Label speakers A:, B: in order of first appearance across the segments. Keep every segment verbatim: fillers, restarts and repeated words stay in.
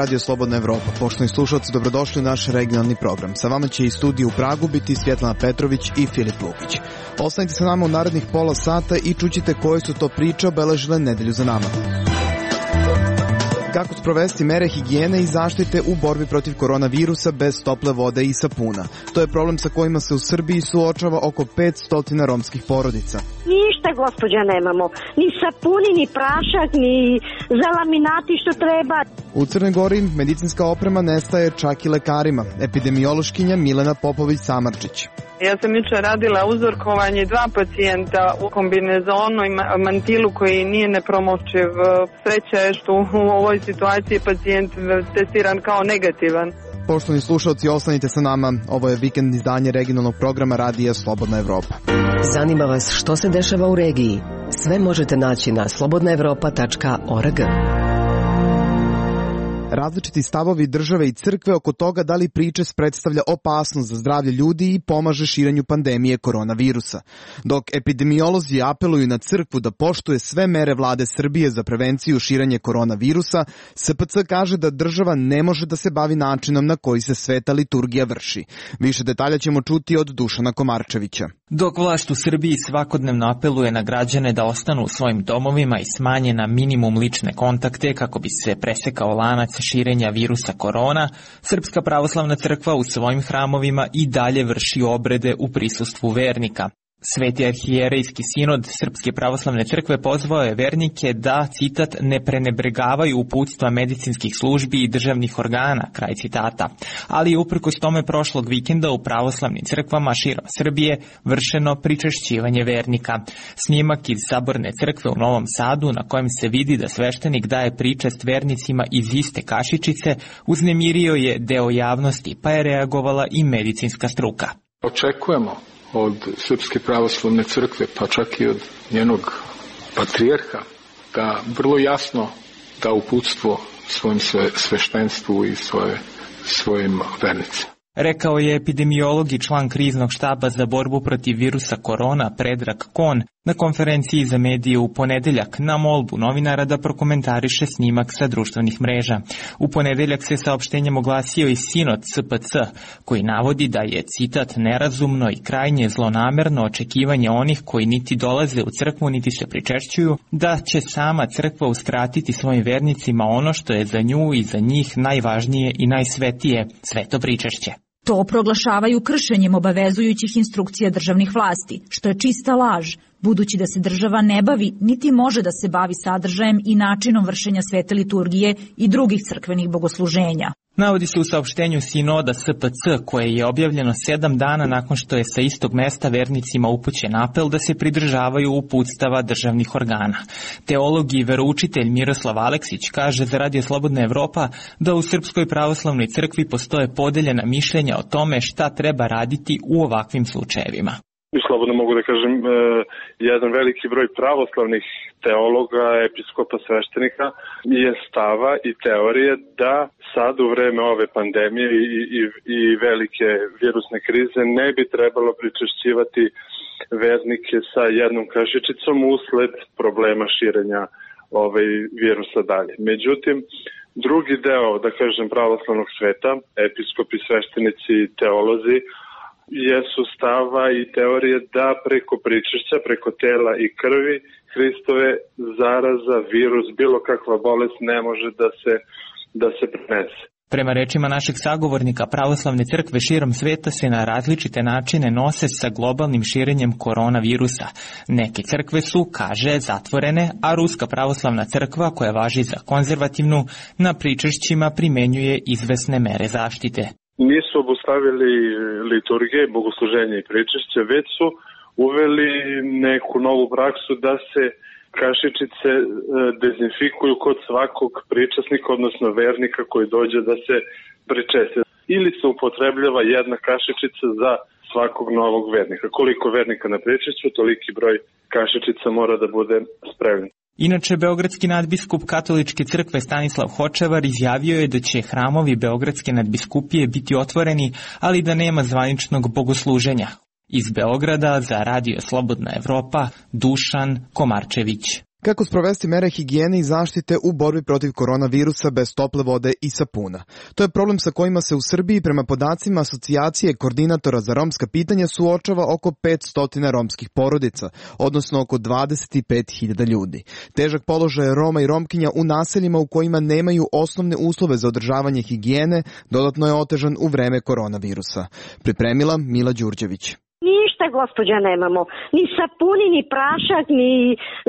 A: Radio Slobodna Evropa. Poštovani slušalci, dobrodošli u naš regionalni program. Sa vama će iz studija u Pragu biti Svjetlana Petrović i Filip Lukić. Ostanite sa nama u narednih pola sata i čućite koje su to priče obeležile nedelju za nama. Kako sprovesti mere higijene i zaštite u borbi protiv koronavirusa bez tople vode i sapuna? To je problem sa kojima se u Srbiji suočava oko petsto romskih porodica.
B: Ništa, gospođa, nemamo. Ni sapuni, ni prašak, ni za laminati što treba.
A: U Crnoj Gori medicinska oprema nestaje čak i lekarima. Epidemiološkinja Milena Popović-Samarčić.
C: Ja sam jučer radila uzorkovanje dva pacijenta u kombinezonu i mantilu koji nije nepromočiv. Sreća je što u ovoj situaciji pacijent testiran kao negativan.
A: Poštovani slušalci, ostanite sa nama. Ovo je vikend izdanje regionalnog programa Radija Slobodna Evropa.
D: Zanima vas što se dešava u regiji? Sve možete naći na slobodna evropa tačka org.
A: Različiti stavovi države i crkve oko toga da li pričest predstavlja opasnost za zdravlje ljudi i pomaže širenju pandemije koronavirusa. Dok epidemiolozi apeluju na crkvu da poštuje sve mere vlade Srbije za prevenciju širenja koronavirusa, S P C kaže da država ne može da se bavi načinom na koji se sveta liturgija vrši. Više detalja ćemo čuti od Dušana Komarčevića.
E: Dok vlast u Srbiji svakodnevno apeluje na građane da ostanu u svojim domovima i smanje na minimum lične kontakte kako bi se presekao lanac širenja virusa korona, Srpska pravoslavna crkva u svojim hramovima i dalje vrši obrede u prisustvu vernika. Sveti arhijerejski sinod Srpske pravoslavne crkve pozvao je vernike da, citat, ne prenebregavaju uputstva medicinskih službi i državnih organa, kraj citata. Ali je uprkos tome prošlog vikenda u pravoslavnim crkvama širom Srbije vršeno pričešćivanje vernika. Snimak iz Saborne crkve u Novom Sadu, na kojem se vidi da sveštenik daje pričest vernicima iz iste kašičice, uznemirio je deo javnosti, pa je reagovala i medicinska struka.
F: Očekujemo od Srpske pravoslavne crkve, pa čak i od njenog patrijarha, da vrlo jasno da uputstvo svojim sve, sveštenstvu i svoje, svojim vernicima.
E: Rekao je epidemiolog i član kriznog štaba za borbu protiv virusa korona Predrag Kon na konferenciji za medije u ponedeljak na molbu novinara da prokomentariše snimak sa društvenih mreža. U ponedeljak se saopštenjem oglasio i sinod S P C, koji navodi da je, citat, nerazumno i krajnje zlonamerno očekivanje onih koji niti dolaze u crkvu niti se pričešćuju, da će sama crkva uskratiti svojim vernicima ono što je za nju i za njih najvažnije i najsvetije, sveto pričešće.
G: To proglašavaju kršenjem obavezujućih instrukcija državnih vlasti, što je čista laž, budući da se država ne bavi niti može da se bavi sadržajem i načinom vršenja svete liturgije i drugih crkvenih bogosluženja.
E: Navodi se u saopštenju sinoda S P C, koje je objavljeno sedam dana nakon što je sa istog mesta vernicima upućen apel da se pridržavaju uputstava državnih organa. Teolog i veroučitelj Miroslav Aleksić kaže za Radio Slobodna Evropa da u Srpskoj pravoslavnoj crkvi postoje podeljena mišljenja o tome šta treba raditi u ovakvim slučajevima.
H: Slobodno mogu da kažem, jedan veliki broj pravoslavnih teologa, episkopa, sveštenika je stava i teorije da sad u vreme ove pandemije i, i, i velike virusne krize ne bi trebalo pričešćivati vernike sa jednom kašičicom usled problema širenja ovaj virusa dalje. Međutim, drugi deo, da kažem, pravoslavnog sveta, episkopi, sveštenici i teolozi, jesu stava i teorije da preko pričešća, preko tela i krvi Hristove zaraza, virus, bilo kakva bolest ne može da se, da se prenese.
E: Prema rečima našeg sagovornika, pravoslavne crkve širom sveta se na različite načine nose sa globalnim širenjem koronavirusa. Neke crkve su, kaže, zatvorene, a Ruska pravoslavna crkva, koja važi za konzervativnu, na pričešćima primenjuje izvesne mere zaštite.
H: Nisu obustavili liturgije, bogosluženje i pričešće, već su uveli neku novu praksu da se kašičice dezinfikuju kod svakog pričasnika, odnosno vernika koji dođe da se pričesti. Ili se upotrebljava jedna kašičica za svakog novog vernika. Koliko vernika na pričešću, toliki broj kašičica mora da bude spremljen.
E: Inače, beogradski nadbiskup katoličke crkve Stanislav Hočevar izjavio je da će hramovi beogradske nadbiskupije biti otvoreni, ali da nema zvaničnog bogosluženja. Iz Beograda za Radio Slobodna Evropa, Dušan Komarčević.
A: Kako sprovesti mere higijene i zaštite u borbi protiv koronavirusa bez tople vode i sapuna? To je problem sa kojima se u Srbiji prema podacima Asocijacije koordinatora za romska pitanja suočava oko petsto romskih porodica, odnosno oko dvadeset pet hiljada ljudi. Težak položaj Roma i Romkinja u naseljima u kojima nemaju osnovne uslove za održavanje higijene dodatno je otežan u vreme koronavirusa. Pripremila Mila Đurđević.
B: Ništa, gospođa, nemamo. Ni sapuni, ni prašak, ni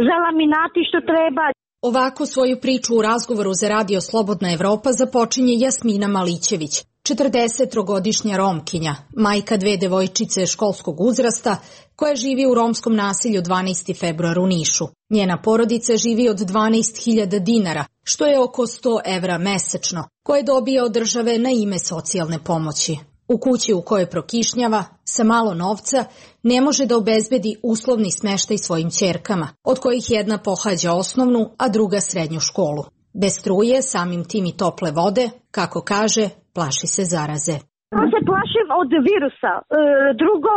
B: za laminati što treba.
G: Ovako svoju priču u razgovoru za Radio Slobodna Evropa započinje Jasmina Malićević, četrdesettrogodišnja Romkinja, majka dve devojčice školskog uzrasta, koja živi u romskom naselju dvanaesti februar u Nišu. Njena porodica živi od dvanaest hiljada dinara, što je oko sto evra mesečno, koje dobija od države na ime socijalne pomoći. U kući u kojoj prokišnjava, sa malo novca, ne može da obezbedi uslovni smeštaj svojim ćerkama, od kojih jedna pohađa osnovnu, a druga srednju školu. Bez struje, samim tim i tople vode, kako kaže, plaši se zaraze.
B: Ja se plašim od virusa, e, drugo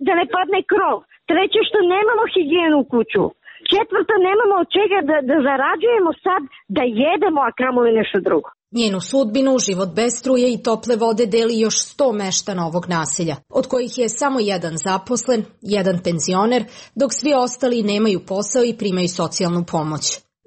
B: da ne padne krov, treće što nemamo higijenu u kuću, četvrto nemamo od čega da, da zarađujemo sad da jedemo, a kamoli nešto drugo.
G: Njenu sudbinu, život bez struje i tople vode deli još sto meštana ovog naselja, od kojih je samo jedan zaposlen, jedan penzioner, dok svi ostali nemaju posao i primaju socijalnu pomoć.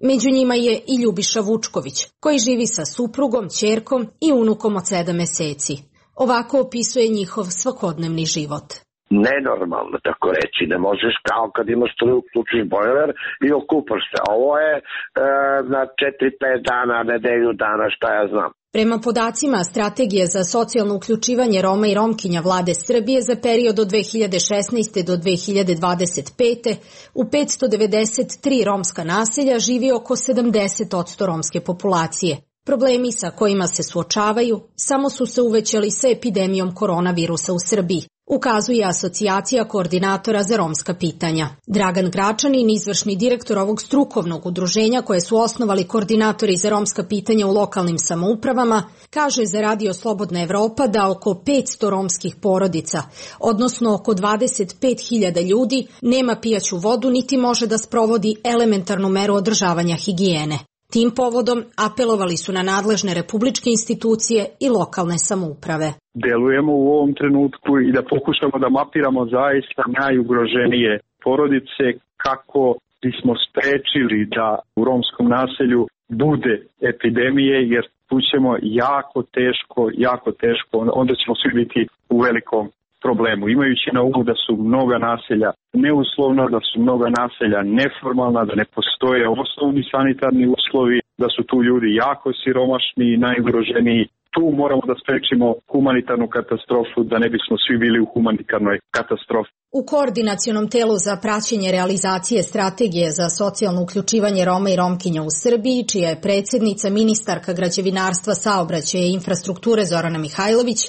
G: Među njima je i Ljubiša Vučković, koji živi sa suprugom, ćerkom i unukom od sedam meseci. Ovako opisuje njihov svakodnevni život.
I: Nenormalno, tako reći, ne možeš kao kad imaš struju, uključiš bojler i okupaš se. Ovo je e, na četiri pet dana, nedelju dana, šta ja znam.
G: Prema podacima Strategije za socijalno uključivanje Roma i Romkinja Vlade Srbije za period od dve hiljade šesnaeste. do dve hiljade dvadeset pete. u petsto devedeset tri romska naselja živi oko sedamdeset posto romske populacije. Problemi sa kojima se suočavaju samo su se uvećali sa epidemijom koronavirusa u Srbiji, ukazuje Asocijacija koordinatora za romska pitanja. Dragan Gračanin, izvršni direktor ovog strukovnog udruženja koje su osnovali koordinatori za romska pitanja u lokalnim samoupravama, kaže za Radio Slobodna Evropa da oko petsto romskih porodica, odnosno oko dvadeset pet hiljada ljudi, nema pijaću vodu niti može da sprovodi elementarnu meru održavanja higijene. Tim povodom apelovali su na nadležne republičke institucije i lokalne samouprave.
H: Delujemo u ovom trenutku i da pokušamo da mapiramo zaista najugroženije porodice kako bismo sprečili da u romskom naselju bude epidemije, jer tu ćemo jako teško, jako teško, onda ćemo svi biti u velikom problemu. Imajući na umu da su mnoga naselja neuslovna, da su mnoga naselja neformalna, da ne postoje osnovni sanitarni uslovi, da su tu ljudi jako siromašni i najugroženiji. Tu moramo da sprečimo humanitarnu katastrofu, da ne bismo svi bili u humanitarnoj katastrofi.
G: U Koordinacionom telu za praćenje realizacije Strategije za socijalno uključivanje Roma i Romkinja u Srbiji, čija je predsjednica ministarka građevinarstva, saobraćaja i infrastrukture Zorana Mihajlović,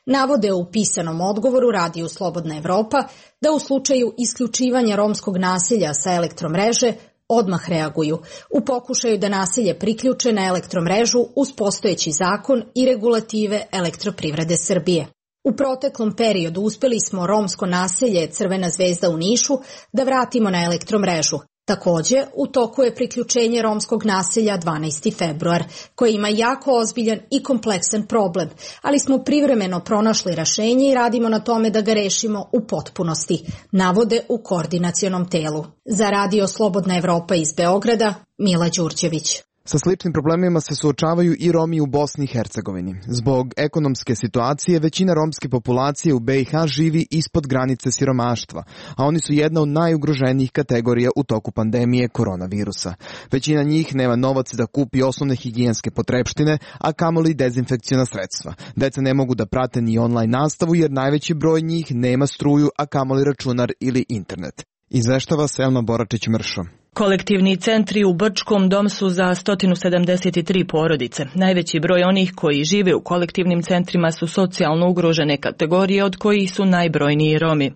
G: navode u pisanom odgovoru Radiju Slobodna Evropa da u slučaju isključivanja romskog naselja sa elektromreže odmah reaguju u pokušaju da naselje priključe na elektromrežu uz postojeći zakon i regulative Elektroprivrede Srbije. U proteklom periodu uspeli smo romsko naselje Crvena zvezda u Nišu da vratimo na elektromrežu. Takođe, u toku je priključenje romskog naselja dvanaesti februar, koje ima jako ozbiljan i kompleksan problem, ali smo privremeno pronašli rešenje i radimo na tome da ga rešimo u potpunosti, navode u koordinacionom telu. Za Radio Slobodna Evropa iz Beograda, Mila Đurđević.
A: Sa sličnim problemima se suočavaju i Romi u Bosni i Hercegovini. Zbog ekonomske situacije, većina romske populacije u be i ha živi ispod granice siromaštva, a oni su jedna od najugroženijih kategorija u toku pandemije koronavirusa. Većina njih nema novac da kupi osnovne higijenske potrepštine, a kamoli dezinfekciona sredstva. Deca ne mogu da prate ni online nastavu jer najveći broj njih nema struju, a kamoli računar ili internet. Izveštava Selma Boračić-Mršo.
J: Kolektivni centri u Brčkom dom su za sto sedamdeset tri porodice. Najveći broj onih koji žive u kolektivnim centrima su socijalno ugrožene kategorije, od kojih su najbrojniji Romi.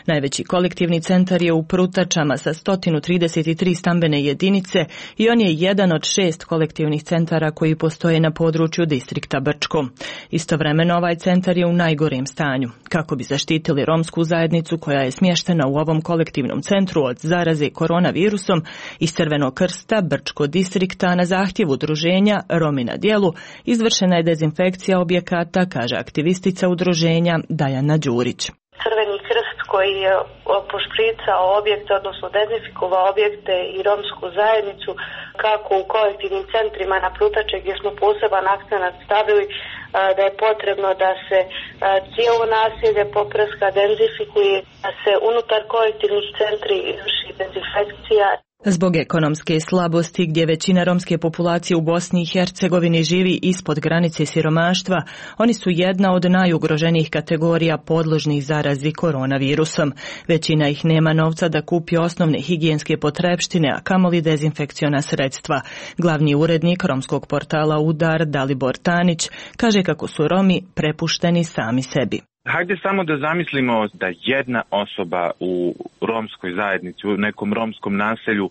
J: Najveći kolektivni centar je u Prutačama sa sto trideset tri stambene jedinice i on je jedan od šest kolektivnih centara koji postoje na području distrikta Brčko. Istovremeno ovaj centar je u najgorem stanju. Kako bi zaštitili romsku zajednicu koja je smještena u ovom kolektivnom centru od zaraze koronavirusom, iz Crvenog krsta Brčko distrikta na zahtjev udruženja Romi na djelu izvršena je dezinfekcija objekata, kaže aktivistica udruženja Dajana Đurić.
K: Crveni krst koji je pošpricao objekte, odnosno dezinfikovao objekte i romsku zajednicu, kako u kolektivnim centrima na Prutače gdje smo poseban akcenat stavili da je potrebno da se cijelo naselje poprska, dezinfikuje, da se unutar kolektivnih centri izvrši dezinfekcija.
J: Zbog ekonomske slabosti gdje većina romske populacije u Bosni i Hercegovini živi ispod granice siromaštva, oni su jedna od najugroženijih kategorija podložnih zarazi koronavirusom. Većina ih nema novca da kupi osnovne higijenske potrepštine, a kamoli dezinfekciona sredstva. Glavni urednik romskog portala Udar, Dalibor Tanić, kaže kako su Romi prepušteni sami sebi.
L: Hajde samo da zamislimo da jedna osoba u romskoj zajednici, u nekom romskom naselju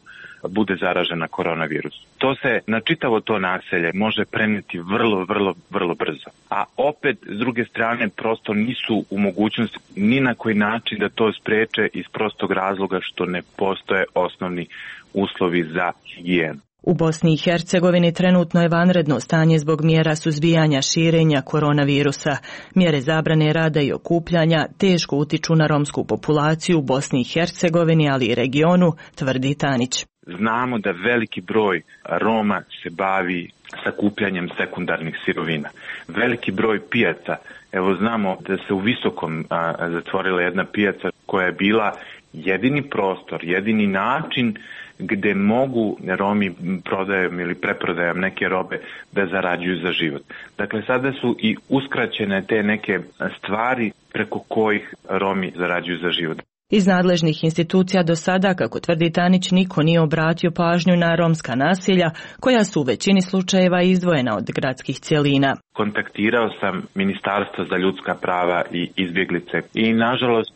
L: bude zaražena koronavirus. To se na čitavo to naselje može prenijeti vrlo, vrlo, vrlo brzo. A opet, s druge strane, prosto nisu u mogućnosti ni na koji način da to spreče iz prostog razloga što ne postoje osnovni uslovi za higijenu.
J: U Bosni i Hercegovini trenutno je vanredno stanje zbog mjera suzbijanja širenja koronavirusa. Mjere zabrane rada i okupljanja teško utiču na romsku populaciju u Bosni i Hercegovini, ali i regionu, tvrdi Tanić.
L: Znamo da veliki broj Roma se bavi sakupljanjem sekundarnih sirovina. Veliki broj pijaca, evo znamo da se u Visokom a, zatvorila jedna pijaca koja je bila jedini prostor, jedini način gdje mogu Romi prodajom ili preprodajom neke robe da zarađuju za život. Dakle, sada su i uskraćene te neke stvari preko kojih Romi zarađuju za život.
J: Iz nadležnih institucija do sada, kako tvrdi Tanić, niko nije obratio pažnju na romska naselja, koja su u većini slučajeva izdvojena od gradskih cjelina.
L: Kontaktirao sam Ministarstvo za ljudska prava i izbjeglice i nažalost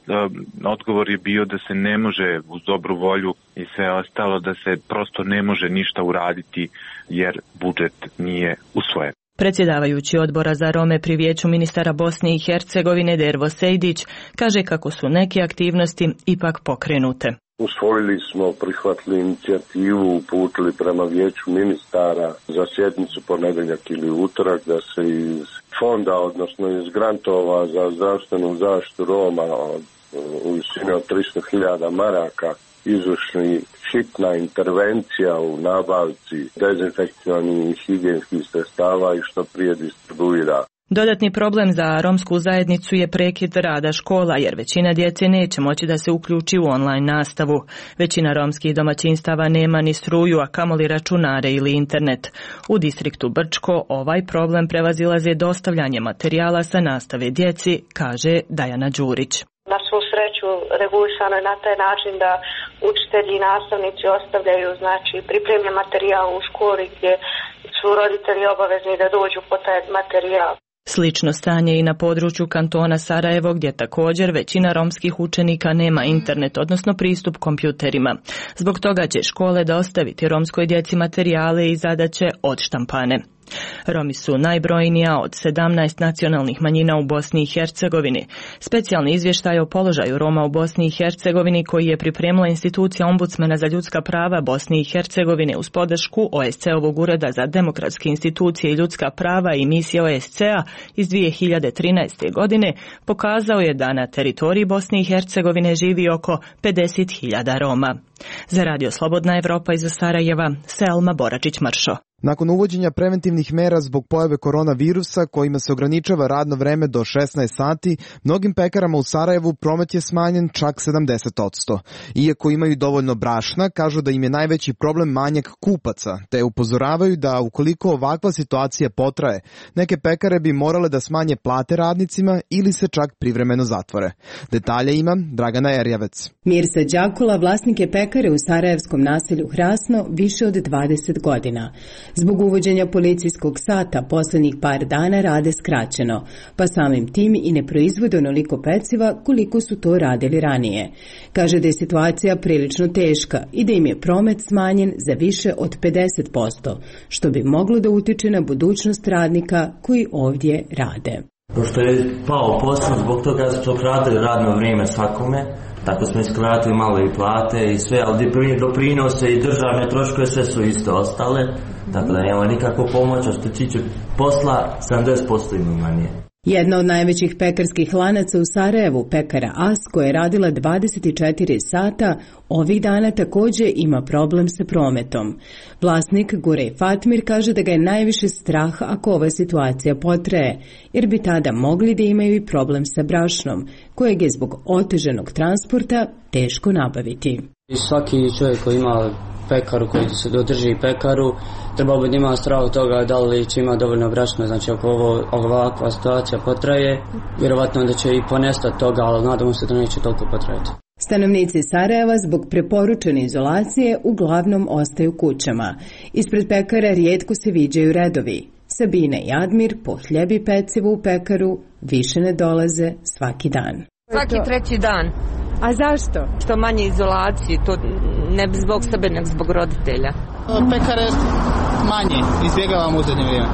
L: odgovor je bio da se ne može uz dobru volju i sve ostalo, da se prosto ne može ništa uraditi jer budžet nije usvojen.
J: Predsjedavajući odbora za Rome pri Vijeću ministara Bosne i Hercegovine Dervo Sejdić kaže kako su neke aktivnosti ipak pokrenute.
M: Usvojili smo, prihvatili inicijativu, uputili prema Vijeću ministara za sjednicu ponedjeljak ili utorak da se iz fonda, odnosno iz grantova za zdravstvenu zaštitu Roma u visini od tristo hiljada maraka izvrši hitna intervencija u nabavci dezinfekcionih i higijenskih sredstava i što prije distribuira.
J: Dodatni problem za romsku zajednicu je prekid rada škola, jer većina djece neće moći da se uključi u online nastavu. Većina romskih domaćinstava nema ni struju, a kamoli računare ili internet. U distriktu Brčko ovaj problem prevazilaze dostavljanje materijala sa nastave djeci, kaže Dajana Đurić.
K: Na svu sreću regulisano je na taj način da učitelji i nastavnici ostavljaju znači pripremljen materijal u školi gdje su roditelji obavezni da dođu po taj materijal.
J: Slično stanje i na području kantona Sarajevo, gdje također većina romskih učenika nema internet, odnosno pristup kompjuterima. Zbog toga će škole dostaviti romskoj djeci materijale i zadaće odštampane. Romi su najbrojnija od sedamnaest nacionalnih manjina u Bosni i Hercegovini. Specijalni izvještaj o položaju Roma u Bosni i Hercegovini koji je pripremila institucija Ombudsmana za ljudska prava Bosne i Hercegovine uz podršku O S C-ovog ureda za demokratske institucije i ljudska prava i misije O S C-a iz dvije hiljade trinaeste. godine pokazao je da na teritoriji Bosne i Hercegovine živi oko pedeset hiljada Roma. Za Radio Slobodna Evropa iz Sarajeva, Selma Boračić-Mršo.
A: Nakon uvođenja preventivnih mera zbog pojave koronavirusa kojima se ograničava radno vreme do šesnaest sati, mnogim pekarama u Sarajevu promet je smanjen čak sedamdeset posto. Iako imaju dovoljno brašna, kažu da im je najveći problem manjak kupaca, te upozoravaju da ukoliko ovakva situacija potraje, neke pekare bi morale da smanje plate radnicima ili se čak privremeno zatvore. Detalje ima Dragana Erjavec.
N: Mirsa Đakula vlasnik je pekare u sarajevskom naselju Hrasno više od dvadeset godina. Zbog uvođenja policijskog sata poslednjih par dana rade skraćeno, pa samim tim i ne proizvode onoliko peciva koliko su to radili ranije. Kaže da je situacija prilično teška i da im je promet smanjen za više od pedeset posto, što bi moglo da utiče na budućnost radnika koji ovdje rade.
O: Pošto je pao posao, zbog toga su skratili radno vrijeme svakome, tako smo iskratili malo i plate i sve, ali doprinose i državne troškove sve su isto ostale, tako da nema nikakvu pomoć, a što tiče posla sedamdeset posto ima manje.
N: Jedna od najvećih pekarskih lanaca u Sarajevu, pekara As, koja je radila dvadeset četiri sata, ovih dana također ima problem sa prometom. Vlasnik Gurej Fatmir kaže da ga je najviše strah ako ova situacija potraje, jer bi tada mogli da imaju i problem sa brašnom, kojeg je zbog oteženog transporta teško nabaviti.
P: I svaki čovjek koji ima pekaru, koji se dodrži pekaru, treba bi da ima strah od toga da li će ima dovoljno brašna, znači ako ovo, ovakva situacija potraje, vjerovatno da će i ponestati toga, ali nadamo se da neće toliko potrajati.
N: Stanovnici Sarajeva zbog preporučene izolacije uglavnom ostaju kućama. Ispred pekara rijetko se viđaju redovi. Sabina i Admir po hljeb i pecivo u pekaru više ne dolaze svaki dan.
Q: Svaki treći dan.
N: A zašto?
Q: Što manje izolacije, to ne zbog sebe, nego zbog roditelja.
R: Pekare manje, izbjegavamo u zadnje vrijeme.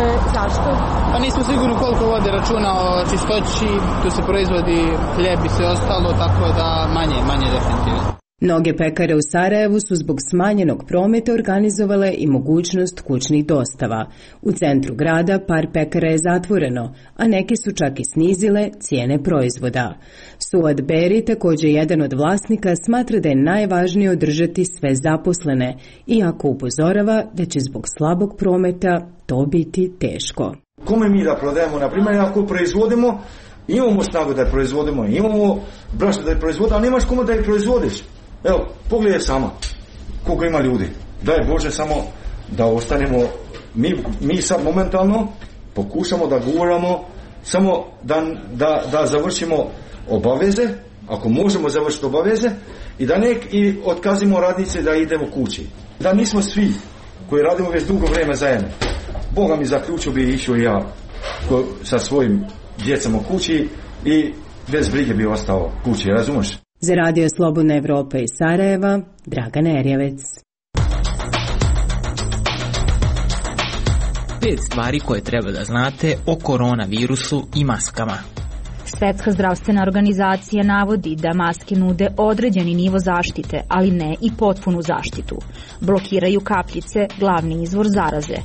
Q: E, zašto?
R: Pa nismo sigurni koliko vode računa o čistoći, tu se proizvodi hljeb i sve ostalo, tako da manje, manje definitivno.
N: Mnoge pekare u Sarajevu su zbog smanjenog prometa organizovale i mogućnost kućnih dostava. U centru grada par pekara je zatvoreno, a neke su čak i snizile cijene proizvoda. Suad Beri, također jedan od vlasnika, smatra da je najvažnije održati sve zaposlene, iako upozorava da će zbog slabog prometa to biti teško.
S: Kome mi da prodajemo, na primjer, ako proizvodimo, imamo snagu da je proizvodimo, imamo brašno da je proizvodimo, ali nemaš kome da je proizvodiš. Evo, pogledaj sama koliko ima ljudi. Daj Bože samo da ostanemo, mi, mi sad momentalno pokušamo da guramo samo da, da, da završimo obaveze, ako možemo završiti obaveze, i da nek i otkazimo radnice da idemo kući. Da nismo svi koji radimo već dugo vrijeme zajedno. Boga mi zaključio bi išao ja ko, sa svojim djecom u kući i bez brige bi ostao kući, razumiješ?
N: Za Radio Slobodna Evropa iz Sarajeva, Dragana Erjavec.
E: Pet stvari koje treba da znate o koronavirusu i maskama.
G: Svetska zdravstvena organizacija navodi da maske nude određeni nivo zaštite, ali ne i potpunu zaštitu. Blokiraju kapljice, glavni izvor zaraze,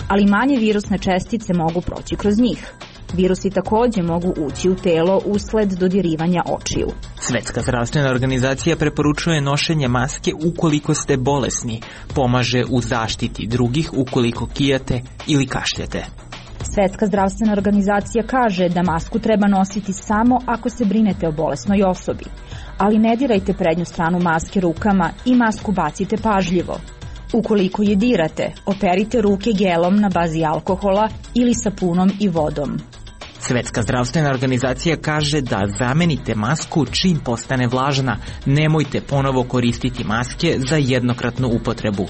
G: ali manje virusne čestice mogu proći kroz njih. Virusi također mogu ući u telo usled dodirivanja očiju.
E: Svetska zdravstvena organizacija preporučuje nošenje maske ukoliko ste bolesni, pomaže u zaštiti drugih ukoliko kijate ili kašljete.
G: Svetska zdravstvena organizacija kaže da masku treba nositi samo ako se brinete o bolesnoj osobi, ali ne dirajte prednju stranu maske rukama i masku bacite pažljivo. Ukoliko je dirate, operite ruke gelom na bazi alkohola ili sapunom i vodom.
E: Svetska zdravstvena organizacija kaže da zamenite masku čim postane vlažna, nemojte ponovo koristiti maske za jednokratnu upotrebu.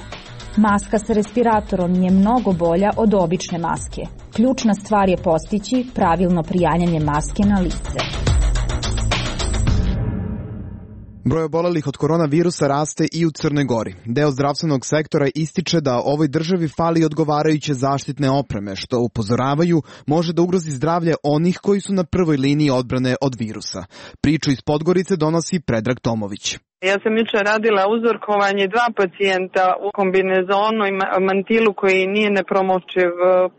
G: Maska sa respiratorom je mnogo bolja od obične maske. Ključna stvar je postići pravilno prijanjanje maske na lice.
A: Broj obolelih od koronavirusa raste i u Crnoj Gori. Deo zdravstvenog sektora ističe da ovoj državi fali odgovarajuće zaštitne opreme, što upozoravaju može da ugrozi zdravlje onih koji su na prvoj liniji odbrane od virusa. Priču iz Podgorice donosi Predrag Tomović.
C: Ja sam jučer radila uzorkovanje dva pacijenta u kombinezonu i mantilu koji nije nepromočiv.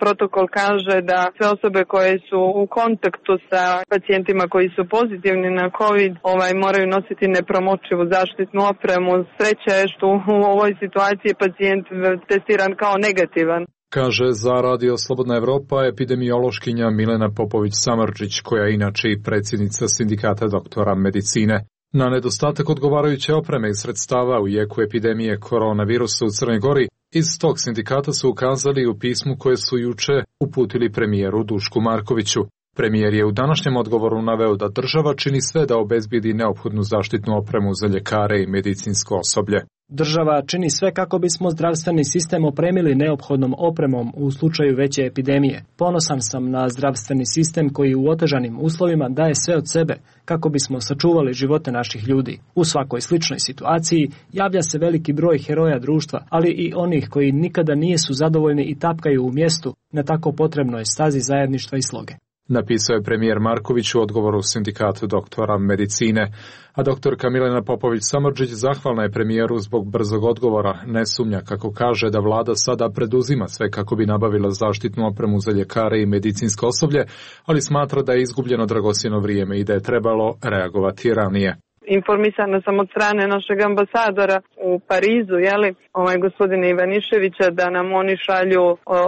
C: Protokol kaže da sve osobe koje su u kontaktu sa pacijentima koji su pozitivni na COVID ovaj, moraju nositi nepromočivu zaštitnu opremu. Sreća je što u ovoj situaciji pacijent testiran kao negativan.
T: Kaže za Radio Slobodna Evropa epidemiološkinja Milena Popović-Samardžić, koja je inače i predsjednica Sindikata doktora medicine. Na nedostatak odgovarajuće opreme i sredstava u jeku epidemije koronavirusa u Crnoj Gori, iz tog sindikata su ukazali u pismu koje su juče uputili premijeru Dušku Markoviću. Premijer je u današnjem odgovoru naveo da država čini sve da obezbijedi neophodnu zaštitnu opremu za ljekare i medicinsko osoblje.
U: Država čini sve kako bismo zdravstveni sistem opremili neophodnom opremom u slučaju veće epidemije. Ponosan sam na zdravstveni sistem koji u otežanim uslovima daje sve od sebe kako bismo sačuvali živote naših ljudi. U svakoj sličnoj situaciji javlja se veliki broj heroja društva, ali i onih koji nikada nisu zadovoljni i tapkaju u mjestu na tako potrebnoj stazi zajedništva i sloge.
T: Napisao je premijer Marković u odgovoru sindikatu doktora medicine, a doktorka Milena Popović-Samardžić zahvalna je premijeru zbog brzog odgovora. Ne sumnja, kako kaže, da vlada sada preduzima sve kako bi nabavila zaštitnu opremu za ljekare i medicinsko osoblje, ali smatra da je izgubljeno dragocjeno vrijeme i da je trebalo reagovati ranije.
C: Informisana sam od strane našeg ambasadora u Parizu, jeli, ovaj gospodina Ivaniševića, da nam oni šalju,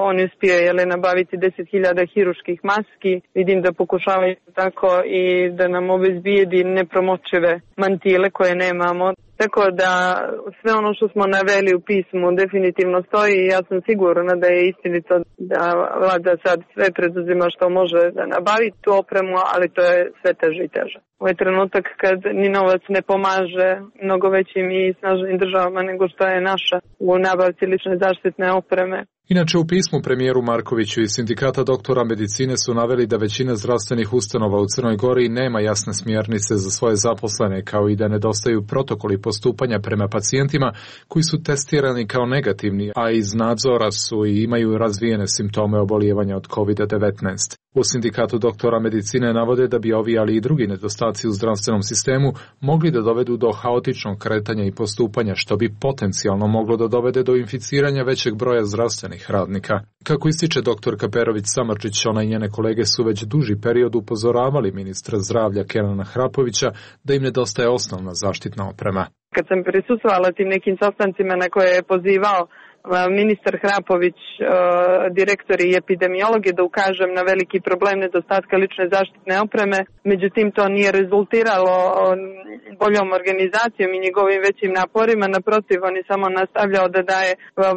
C: on uspije, jeli, nabaviti deset hiljada hiruških maski. Vidim da pokušavaju tako i da nam obezbijedi nepromočive mantile koje nemamo. Tako da sve ono što smo naveli u pismu definitivno stoji i ja sam sigurna da je istinito da vlada sad sve preduzima što može da nabavi tu opremu, ali to je sve teže i teže. Ovo je trenutak kad ni novac ne pomaže mnogo većim i snažnim državama nego što je naša u nabavci lične zaštitne opreme.
T: Inače, u pismu premijeru Markoviću i sindikata doktora medicine su naveli da većina zdravstvenih ustanova u Crnoj Gori nema jasne smjernice za svoje zaposlene, kao i da nedostaju protokoli postupanja prema pacijentima koji su testirani kao negativni, a iz nadzora su i imaju razvijene simptome obolijevanja od kovid devetnaest. U sindikatu doktora medicine navode da bi ovi, ali i drugi nedostaci u zdravstvenom sistemu mogli da dovedu do haotičnog kretanja i postupanja, što bi potencijalno moglo da dovede do inficiranja većeg broja zdravstvenih radnika. Kako ističe doktorka Perović-Samardžić, ona i njene kolege su već duži period upozoravali ministra zdravlja Kenana Hrapovića da im nedostaje osnovna zaštitna oprema.
C: Kad sam prisustvovala tim nekim sastancima na koje je pozivao ministar Hrapović, direktori i epidemiologi, da ukažem na veliki problem nedostatka lične zaštitne opreme. Međutim, to nije rezultiralo boljom organizacijom i njegovim većim naporima. Naprotiv, on je samo nastavljao da daje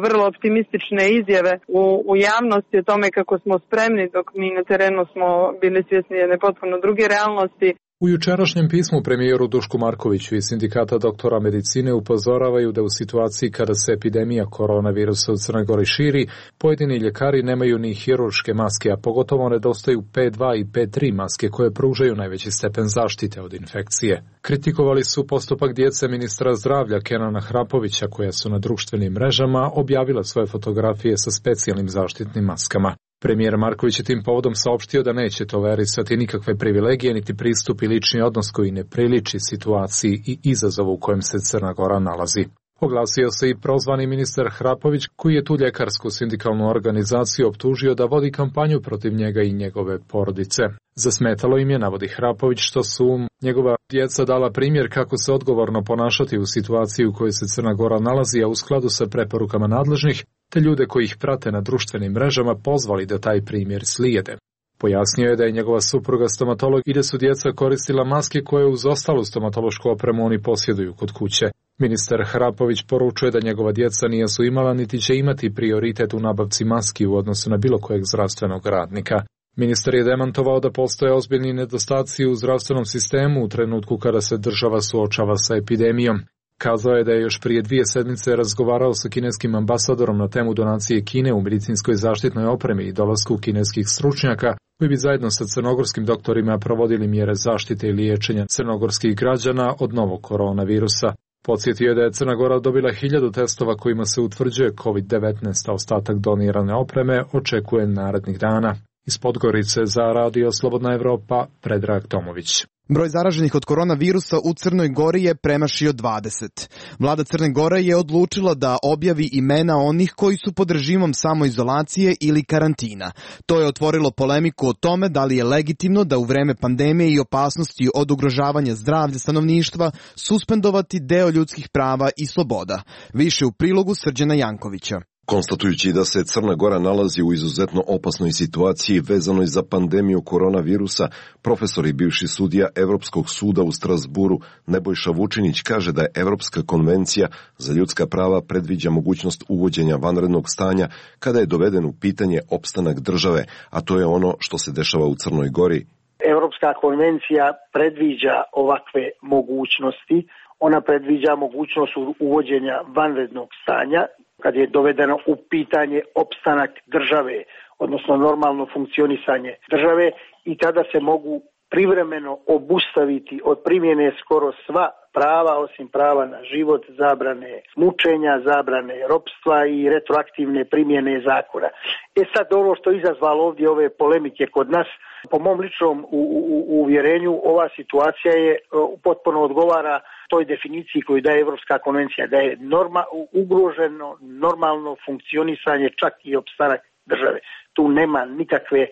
C: vrlo optimistične izjave u, u javnosti o tome kako smo spremni, dok mi na terenu smo bili svjesni jedne potpuno druge realnosti.
T: U jučerašnjem pismu premijeru Dušku Markoviću i sindikata doktora medicine upozoravaju da u situaciji kada se epidemija koronavirusa u Crnoj Gori širi, pojedini ljekari nemaju ni hirurške maske, a pogotovo nedostaju P dva i P tri maske koje pružaju najveći stepen zaštite od infekcije. Kritikovali su postupak djece ministra zdravlja Kenana Hrapovića, koja su na društvenim mrežama objavila svoje fotografije sa specijalnim zaštitnim maskama. Premijer Marković je tim povodom saopštio da neće tolerisati nikakve privilegije niti pristup i lični odnos koji ne priliči situaciji i izazovu u kojem se Crna Gora nalazi. Oglasio se i prozvani ministar Hrapović, koji je tu ljekarsku sindikalnu organizaciju optužio da vodi kampanju protiv njega i njegove porodice. Zasmetalo im je, navodi Hrapović, što su njegova djeca dala primjer kako se odgovorno ponašati u situaciji u kojoj se Crna Gora nalazi, a u skladu sa preporukama nadležnih, te ljude koji ih prate na društvenim mrežama pozvali da taj primjer slijede. Pojasnio je da je njegova supruga stomatolog i da su djeca koristila maske koje uz ostalu stomatološku opremu oni posjeduju kod kuće. Ministar Hrapović poručuje da njegova djeca nisu imala niti će imati prioritet u nabavci maski u odnosu na bilo kojeg zdravstvenog radnika. Ministar je demantovao da postoje ozbiljni nedostaci u zdravstvenom sistemu u trenutku kada se država suočava sa epidemijom. Kazao je da je još prije dvije sedmice razgovarao sa kineskim ambasadorom na temu donacije Kine u medicinskoj zaštitnoj opremi i dolasku kineskih stručnjaka koji bi zajedno sa crnogorskim doktorima provodili mjere zaštite i liječenja crnogorskih građana od novog koronavirusa. Podsjetio je da je Crna Gora dobila hiljadu testova kojima se utvrđuje kovid devetnaest, a ostatak donirane opreme očekuje narednih dana. Iz Podgorice za Radio Slobodna Evropa, Predrag Tomović.
A: Broj zaraženih od koronavirusa u Crnoj Gori je premašio dvadeset. Vlada Crne Gore je odlučila da objavi imena onih koji su pod režimom samoizolacije ili karantina. To je otvorilo polemiku o tome da li je legitimno da u vreme pandemije i opasnosti od ugrožavanja zdravlja stanovništva suspendovati deo ljudskih prava i sloboda. Više u prilogu Srđana Jankovića.
V: Konstatujući da se Crna Gora nalazi u izuzetno opasnoj situaciji vezanoj za pandemiju koronavirusa, profesor i bivši sudija Evropskog suda u Strasburu Nebojša Vučinić kaže da je Evropska konvencija za ljudska prava predviđa mogućnost uvođenja vanrednog stanja kada je doveden u pitanje opstanak države, a to je ono što se dešava u Crnoj Gori.
W: Evropska konvencija predviđa ovakve mogućnosti.
D: Ona predviđa mogućnost uvođenja vanrednog stanja kad je dovedeno u pitanje opstanak države, odnosno normalno funkcionisanje države, i tada se mogu privremeno obustaviti od primjene skoro sva prava, osim prava na život, zabrane mučenja, zabrane ropstva i retroaktivne primjene zakona. E sad, ono što je izazvalo ovdje ove polemike kod nas, po mom ličnom u, u, uvjerenju, ova situacija je potpuno odgovara toj definiciji koju daje Evropska konvencija, da je norma, ugroženo normalno funkcionisanje, čak i opstanak države. Tu nema nikakve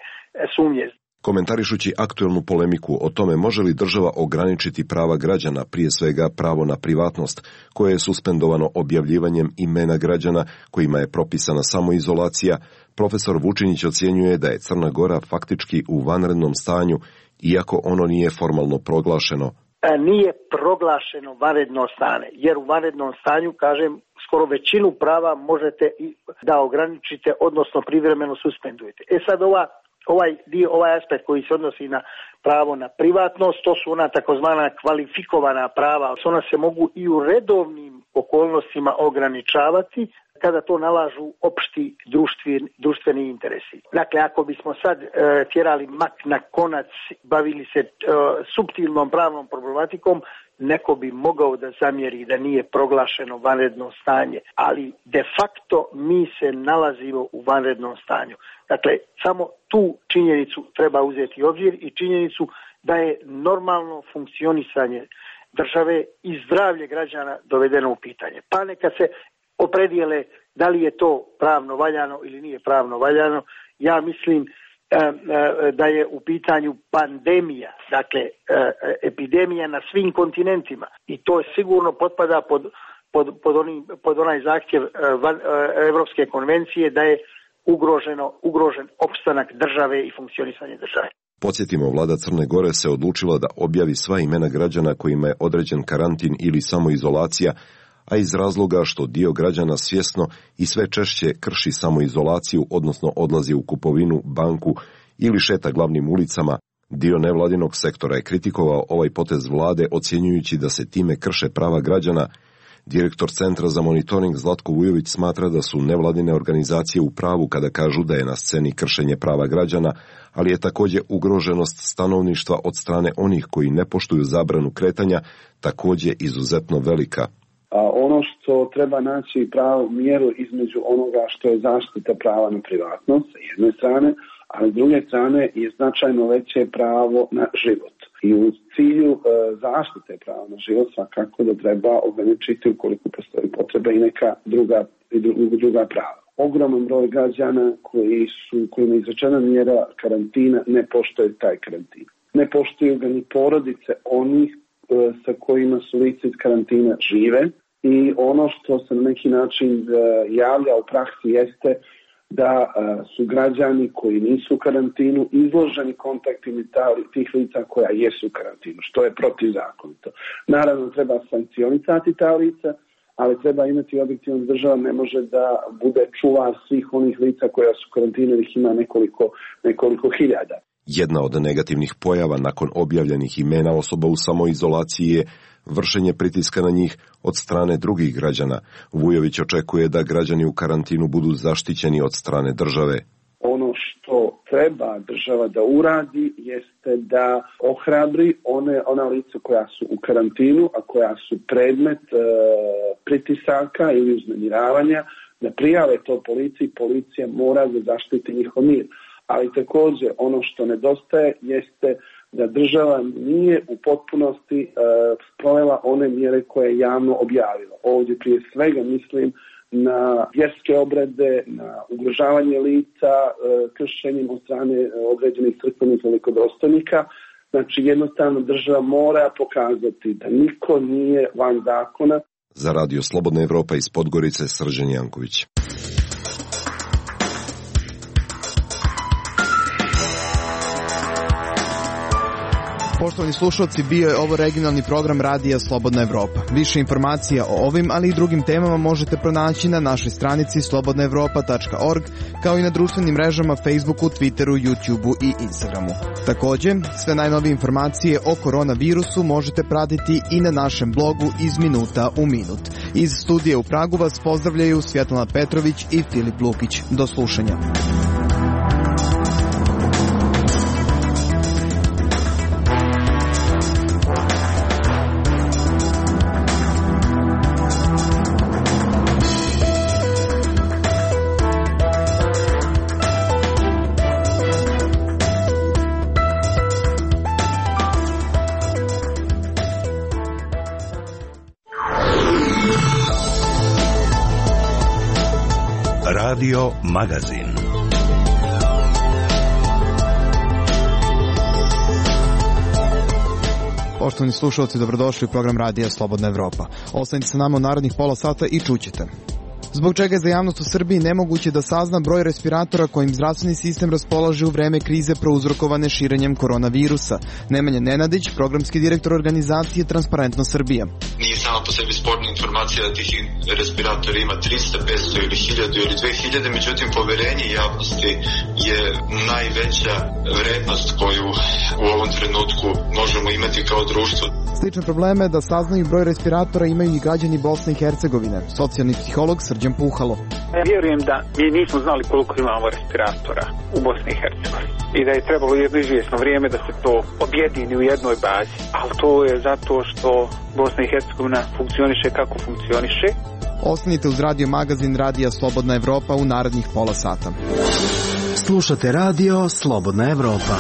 D: sumnje.
V: Komentarišući aktuelnu polemiku o tome može li država ograničiti prava građana, prije svega pravo na privatnost, koje je suspendovano objavljivanjem imena građana kojima je propisana samoizolacija, profesor Vučinić ocjenjuje da je Crna Gora faktički u vanrednom stanju, iako ono nije formalno proglašeno.
D: Nije proglašeno vanredno stanje, jer u vanrednom stanju, kažem, skoro većinu prava možete da ograničite, odnosno privremeno suspendujete. E sad ova Ovaj dio, ovaj aspekt koji se odnosi na pravo na privatnost, to su ona takozvana kvalifikovana prava. Ona se mogu i u redovnim okolnostima ograničavati kada to nalažu opšti društveni, društveni interesi. Dakle, ako bismo sad e, tjerali mak na konac, bavili se e, suptilnom pravnom problematikom, neko bi mogao da zamjeri da nije proglašeno vanredno stanje, ali de facto mi se nalazimo u vanrednom stanju. Dakle, samo tu činjenicu treba uzeti u obzir i činjenicu da je normalno funkcionisanje države i zdravlje građana dovedeno u pitanje. Pa neka se opredijele da li je to pravno valjano ili nije pravno valjano. Ja mislim da je u pitanju pandemija, dakle epidemija na svim kontinentima, i to je sigurno potpada pod, pod, pod, oni, pod onaj zahtjev Evropske konvencije da je ugroženo, ugrožen opstanak države i funkcionisanje države.
V: Podsjetimo, vlada Crne Gore se odlučila da objavi sva imena građana kojima je određen karantin ili samoizolacija, a iz razloga što dio građana svjesno i sve češće krši samoizolaciju, odnosno odlazi u kupovinu, banku ili šeta glavnim ulicama, dio nevladinog sektora je kritikovao ovaj potez vlade, ocjenjujući da se time krše prava građana. Direktor Centra za monitoring Zlatko Vujović smatra da su nevladine organizacije u pravu kada kažu da je na sceni kršenje prava građana, ali je također ugroženost stanovništva od strane onih koji ne poštuju zabranu kretanja također izuzetno velika.
F: A ono što treba naći pravu mjeru između onoga što je zaštita prava na privatnost s jedne strane, a s druge strane je značajno veće pravo na život. I u cilju e, zaštite prava na život svakako da treba ograničiti ukoliko postoji potreba i neka druga, i druga prava. Ogroman broj građana koji su, kojima je izrečena mjera karantina ne poštuju taj karantin. Ne poštuju ga ni porodice onih e, sa kojima su lice iz karantina žive, i ono što se na neki način e, javlja u praksi jeste da a, su građani koji nisu u karantinu izloženi kontaktima tih lica koja jesu u karantinu, što je protivzakonito. Naravno, treba sankcionisati ta lica, ali treba imati objektivno da država ne može da bude čuvar svih onih lica koja su u karantinu, jer ih ima nekoliko, nekoliko hiljada.
V: Jedna od negativnih pojava nakon objavljenih imena osoba u samoizolaciji je vršenje pritiska na njih od strane drugih građana. Vujović očekuje da građani u karantinu budu zaštićeni od strane države.
F: Ono što treba država da uradi jeste da ohrabri one, ona lica koja su u karantinu, a koja su predmet e, pritisaka ili uznemiravanja, da prijave to policiji. Policija mora da zaštiti njihov mir. Ali također ono što nedostaje jeste da država nije u potpunosti e, sprovela one mjere koje je javno objavila. Ovdje prije svega mislim na vjerske obrede, na ugrožavanje lica, e, kršenjem od strane određenih crkvenih velikodostojnika. Znači jednostavno država mora pokazati da niko nije van zakona.
V: Za Radio Slobodna Evropa iz Podgorice, Srđan Janković.
A: Poštovani slušalci, bio je ovo regionalni program Radija Slobodna Evropa. Više informacija o ovim, ali i drugim temama možete pronaći na našoj stranici slobodna evropa tačka org, kao i na društvenim mrežama Facebooku, Twitteru, YouTubeu i Instagramu. Takođe, sve najnovije informacije o koronavirusu možete pratiti i na našem blogu Iz minuta u minut. Iz studija u Pragu vas pozdravljaju Svjetlana Petrović i Filip Lukić. Do slušanja.
B: Radio Magazin.
A: Poštovani slušalci, dobrodošli u program Radija Slobodna Evropa. Ostanite sa nama u narednih pola sata i čućete. Zbog čega je za javnost u Srbiji nemoguće da sazna broj respiratora kojim zdravstveni sistem raspolaže u vreme krize prouzrokovane širenjem koronavirusa. Nemanja Nenadić, programski direktor organizacije Transparentno Srbija.
I: Nije samo po sebi sporna informacija da tih respiratora ima trista, petsto ili hiljadu ili dve hiljade, međutim poverenje javnosti je najveća vrednost koju u ovom trenutku možemo imati kao društvo.
A: Slične probleme da saznaju broj respiratora imaju i građani Bosne i Hercegovine. Socijalni psiholog Srđan Puhalo.
W: Ja vjerujem da mi nismo znali koliko imamo respiratora u Bosni i Hercegovini i da je trebalo jedno izvjesno vrijeme da se to objedini u jednoj bazi. Ali to je zato što Bosna i Hercegovina funkcioniše kako funkcioniše.
A: Ostanite uz radio magazin Radija Slobodna Evropa u narednih pola sata.
B: Slušate radio Slobodna Evropa.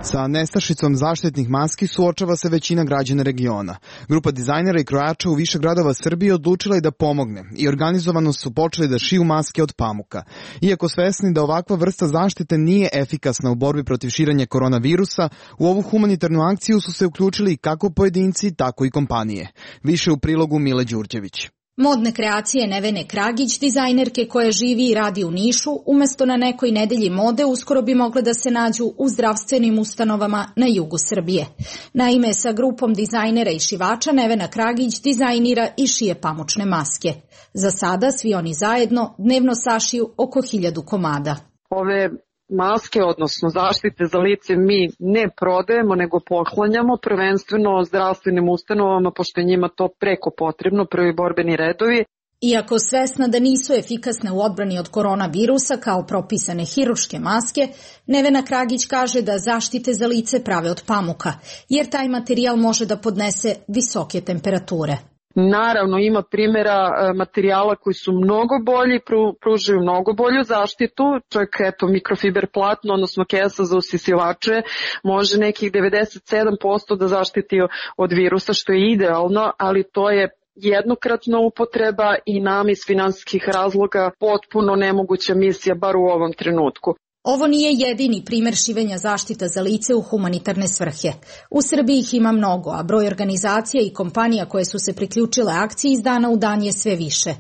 A: Sa nestašicom zaštitnih maski suočava se većina građana regiona. Grupa dizajnera i krojača u više gradova Srbije odlučila je da pomogne i organizovano su počeli da šiju maske od pamuka. Iako svesni da ovakva vrsta zaštite nije efikasna u borbi protiv širenja koronavirusa, u ovu humanitarnu akciju su se uključili kako pojedinci, tako i kompanije. Više u prilogu Mile Đurđević.
G: Modne kreacije Nevene Kragić, dizajnerke koja živi i radi u Nišu, umesto na nekoj nedelji mode uskoro bi mogle da se nađu u zdravstvenim ustanovama na jugu Srbije. Naime, sa grupom dizajnera i šivača Nevena Kragić dizajnira i šije pamučne maske. Za sada svi oni zajedno dnevno sašiju oko hiljadu komada.
C: Ove maske, odnosno zaštite za lice, mi ne prodajemo, nego poklanjamo prvenstveno zdravstvenim ustanovama, pošto je njima to preko potrebno, prvi borbeni redovi.
G: Iako svesna da nisu efikasne u odbrani od koronavirusa kao propisane hiruške maske, Nevena Kragić kaže da zaštite za lice prave od pamuka, jer taj materijal može da podnese visoke temperature.
C: Naravno, ima primjera materijala koji su mnogo bolji, pružaju mnogo bolju zaštitu, čak eto mikrofiber platno, odnosno kesa za usisivače, može nekih devedeset sedam posto da zaštiti od virusa, što je idealno, ali to je jednokratna upotreba i nam iz finansijskih razloga potpuno nemoguća misija, bar u ovom trenutku.
G: Ovo nije jedini primer šivenja zaštita za lice u humanitarne svrhe. U Srbiji ih ima mnogo, a broj organizacija i kompanija koje su se priključile akciji iz dana u dan je sve više.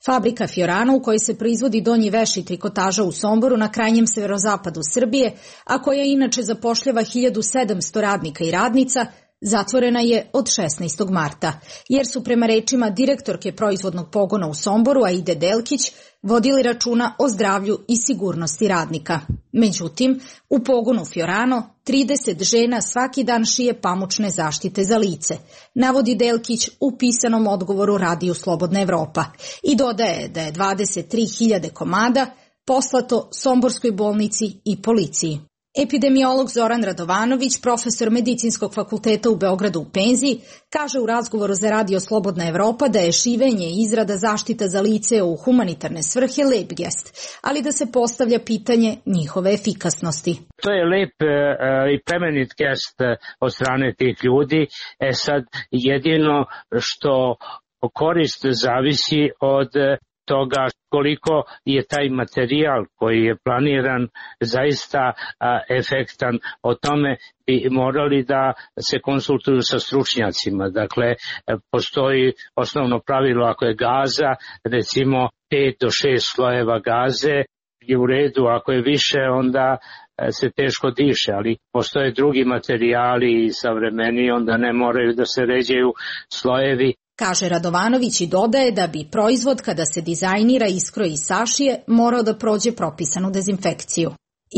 G: Fabrika Fiorano, u kojoj se proizvodi donji veš i trikotaža u Somboru na krajnjem severozapadu Srbije, a koja inače zapošljava hiljadu sedamsto radnika i radnica, zatvorena je od šesnaestog marta, jer su prema rečima direktorke proizvodnog pogona u Somboru, Aide Delkić, vodili računa o zdravlju i sigurnosti radnika. Međutim, u pogonu Fiorano trideset žena svaki dan šije pamučne zaštite za lice, navodi Delkić u pisanom odgovoru Radiju Slobodna Evropa i dodaje da je dvadeset tri hiljade komada poslato Somborskoj bolnici i policiji. Epidemiolog Zoran Radovanović, profesor Medicinskog fakulteta u Beogradu u penziji, kaže u razgovoru za Radio Slobodna Evropa da je šivenje i izrada zaštita za lice u humanitarne svrhe lep gest, ali da se postavlja pitanje njihove efikasnosti.
X: To je lep e, i plemenit gest od strane tih ljudi. E sad, jedino što korist zavisi od toga koliko je taj materijal koji je planiran zaista a, efektan. O tome bi morali da se konsultuju sa stručnjacima. Dakle, postoji osnovno pravilo, ako je gaza, recimo pet do šest slojeva gaze je u redu, ako je više onda se teško diše, ali postoje drugi materijali i savremeni, onda ne moraju da se ređaju slojevi.
G: Kaže Radovanović i dodaje da bi proizvod kada se dizajnira, iskroji i sašije morao da prođe propisanu dezinfekciju.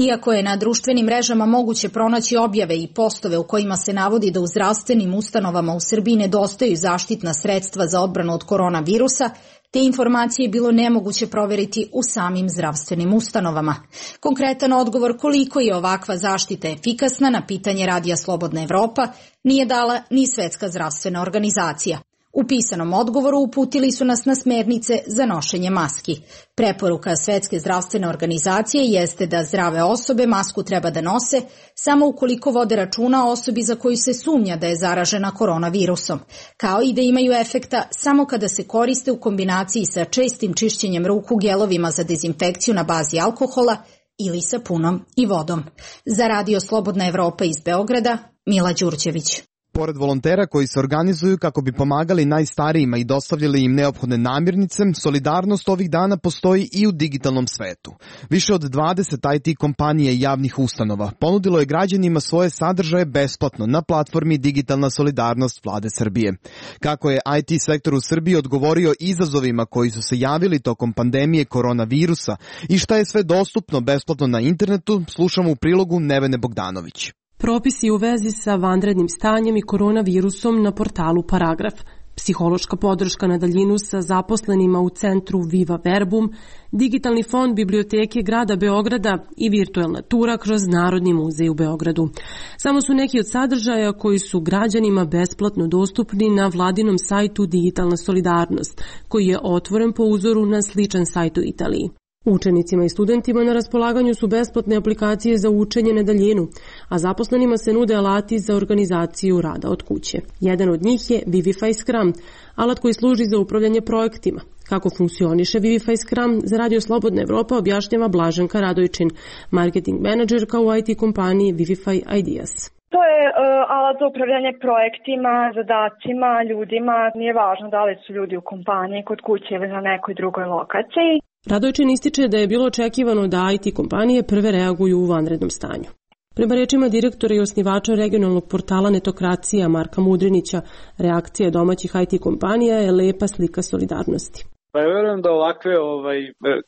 G: Iako je na društvenim mrežama moguće pronaći objave i postove u kojima se navodi da u zdravstvenim ustanovama u Srbiji nedostaju zaštitna sredstva za odbranu od koronavirusa, te informacije je bilo nemoguće proveriti u samim zdravstvenim ustanovama. Konkretan odgovor koliko je ovakva zaštita efikasna na pitanje Radija Slobodna Evropa nije dala ni Svetska zdravstvena organizacija. U pisanom odgovoru uputili su nas na smernice za nošenje maski. Preporuka Svetske zdravstvene organizacije jeste da zdrave osobe masku treba da nose samo ukoliko vode računa o osobi za koju se sumnja da je zaražena koronavirusom, kao i da imaju efekta samo kada se koriste u kombinaciji sa čestim čišćenjem ruku gelovima za dezinfekciju na bazi alkohola ili sapunom i vodom. Za Radio Slobodna Evropa iz Beograda, Mila Đurđević.
A: Pored volontera koji se organizuju kako bi pomagali najstarijima i dostavljali im neophodne namirnice, solidarnost ovih dana postoji i u digitalnom svetu. Više od dvadeset I T kompanija i javnih ustanova ponudilo je građanima svoje sadržaje besplatno na platformi Digitalna solidarnost Vlade Srbije. Kako je I T sektor u Srbiji odgovorio izazovima koji su se javili tokom pandemije koronavirusa i šta je sve dostupno besplatno na internetu, slušamo u prilogu Nevene Bogdanović.
H: Propisi u vezi sa vanrednim stanjem i koronavirusom na portalu Paragraf, psihološka podrška na daljinu sa zaposlenima u centru Viva Verbum, digitalni fond Biblioteke grada Beograda i virtuelna tura kroz Narodni muzej u Beogradu. Samo su neki od sadržaja koji su građanima besplatno dostupni na vladinom sajtu Digitalna solidarnost, koji je otvoren po uzoru na sličan sajt u Italiji. Učenicima i studentima na raspolaganju su besplatne aplikacije za učenje na daljinu, a zaposlenima se nude alati za organizaciju rada od kuće. Jedan od njih je Vivify Scrum, alat koji služi za upravljanje projektima. Kako funkcioniše Vivify Scrum, za Radio Slobodna Evropa objašnjava Blaženka Radojčin, marketing menadžerka u I T kompaniji Vivify Ideas.
K: To je uh, alat za upravljanje projektima, zadacima, ljudima. Nije važno da li su ljudi u kompaniji, kod kuće ili na nekoj drugoj lokaciji.
H: Radojčin ističe da je bilo očekivano da I T kompanije prve reaguju u vanrednom stanju. Prema rečima direktora i osnivača regionalnog portala Netokracija Marka Mudrinića, reakcija domaćih I T kompanija je lepa slika solidarnosti.
W: Pa ja verujem da ovakve ovaj,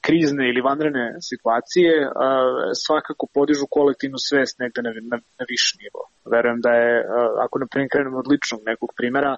W: krizne ili vanredne situacije a, svakako podižu kolektivnu svest negde na, na, na viši nivo. Verujem da je, a, ako na primjer krenemo od ličnog nekog primjera,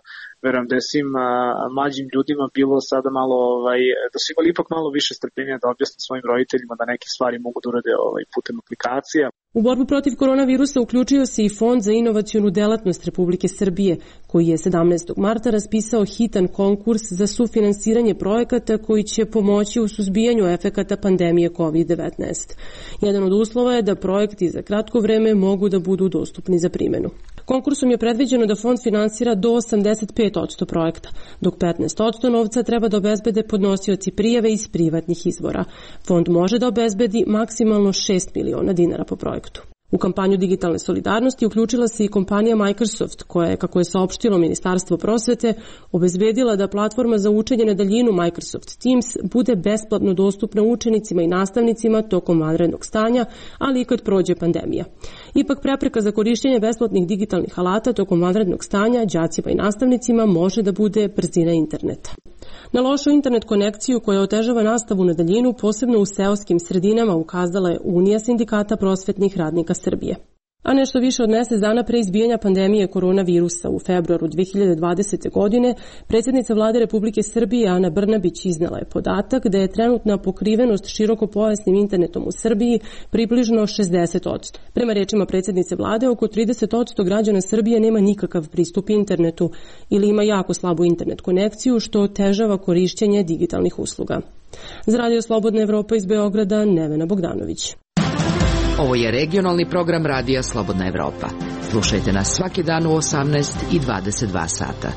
W: verujem da je svim a, mlađim ljudima bilo sada malo, ovaj, da su imali ipak malo više strpljenja da objasne svojim roditeljima da neke stvari mogu da urade ovaj, putem aplikacija.
H: U borbu protiv koronavirusa uključio se i Fond za inovacionu delatnost Republike Srbije, koji je sedamnaestog marta raspisao hitan konkurs za sufinansiranje projekata koji će pomoći u suzbijanju efekata pandemije kovid devetnaest. Jedan od uslova je da projekti za kratko vreme mogu da budu dostupni za primjenu. Konkursom je predviđeno da fond finansira do osamdeset pet posto projekta, dok petnaest posto novca treba da obezbede podnosioci prijave iz privatnih izvora. Fond može da obezbedi maksimalno šest miliona dinara po projektu. U kampanju digitalne solidarnosti uključila se i kompanija Microsoft, koja je, kako je saopštilo Ministarstvo prosvete, obezbedila da platforma za učenje na daljinu Microsoft Teams bude besplatno dostupna učenicima i nastavnicima tokom vanrednog stanja, ali i kad prođe pandemija. Ipak prepreka za korišćenje besplatnih digitalnih alata tokom vanrednog stanja đacima i nastavnicima može da bude brzina interneta. Na lošu internet konekciju koja otežava nastavu na daljinu, posebno u seoskim sredinama, ukazala je Unija sindikata prosvetnih radnika Srbije. A nešto više od mjesec dana pre izbijanja pandemije koronavirusa u februaru dve hiljade dvadesete. godine, predsjednica Vlade Republike Srbije Ana Brnabić iznela je podatak da je trenutna pokrivenost širokopojasnim internetom u Srbiji približno šezdeset posto. Prema rečima predsjednice Vlade, oko trideset posto građana Srbije nema nikakav pristup internetu ili ima jako slabu internet konekciju, što otežava korišćenje digitalnih usluga. Za Radio Slobodna Evropa iz Beograda, Nevena Bogdanović.
L: Ovo je regionalni program Radija Slobodna Evropa. Slušajte nas svaki dan u osamnaest i dvadeset dva sata.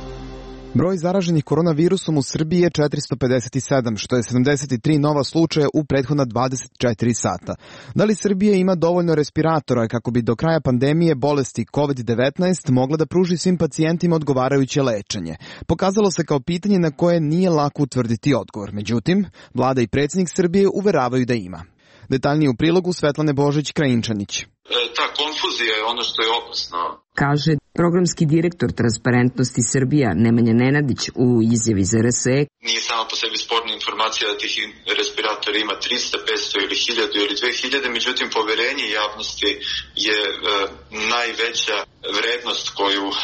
A: Broj zaraženih koronavirusom u Srbiji je četiristo pedeset sedam, što je sedamdeset tri nova slučaja u prethodna dvadeset četiri sata. Da li Srbija ima dovoljno respiratora kako bi do kraja pandemije bolesti kovid devetnaest mogla da pruži svim pacijentima odgovarajuće lečenje? Pokazalo se kao pitanje na koje nije lako utvrditi odgovor. Međutim, vlada i predsjednik Srbije uveravaju da ima. Detaljnije u prilogu Svetlane Božić-Krajinčanić.
I: Ta konfuzija je ono što je opasno.
L: Kaže programski direktor Transparentnosti Srbija Nemanja Nenadić u izjavi za R S E.
I: Nije samo po sebi sporna informacija da tih respiratora ima trista, petsto ili hiljadu ili dve hiljade, međutim poverenje javnosti je e, najveća vrednost koju e,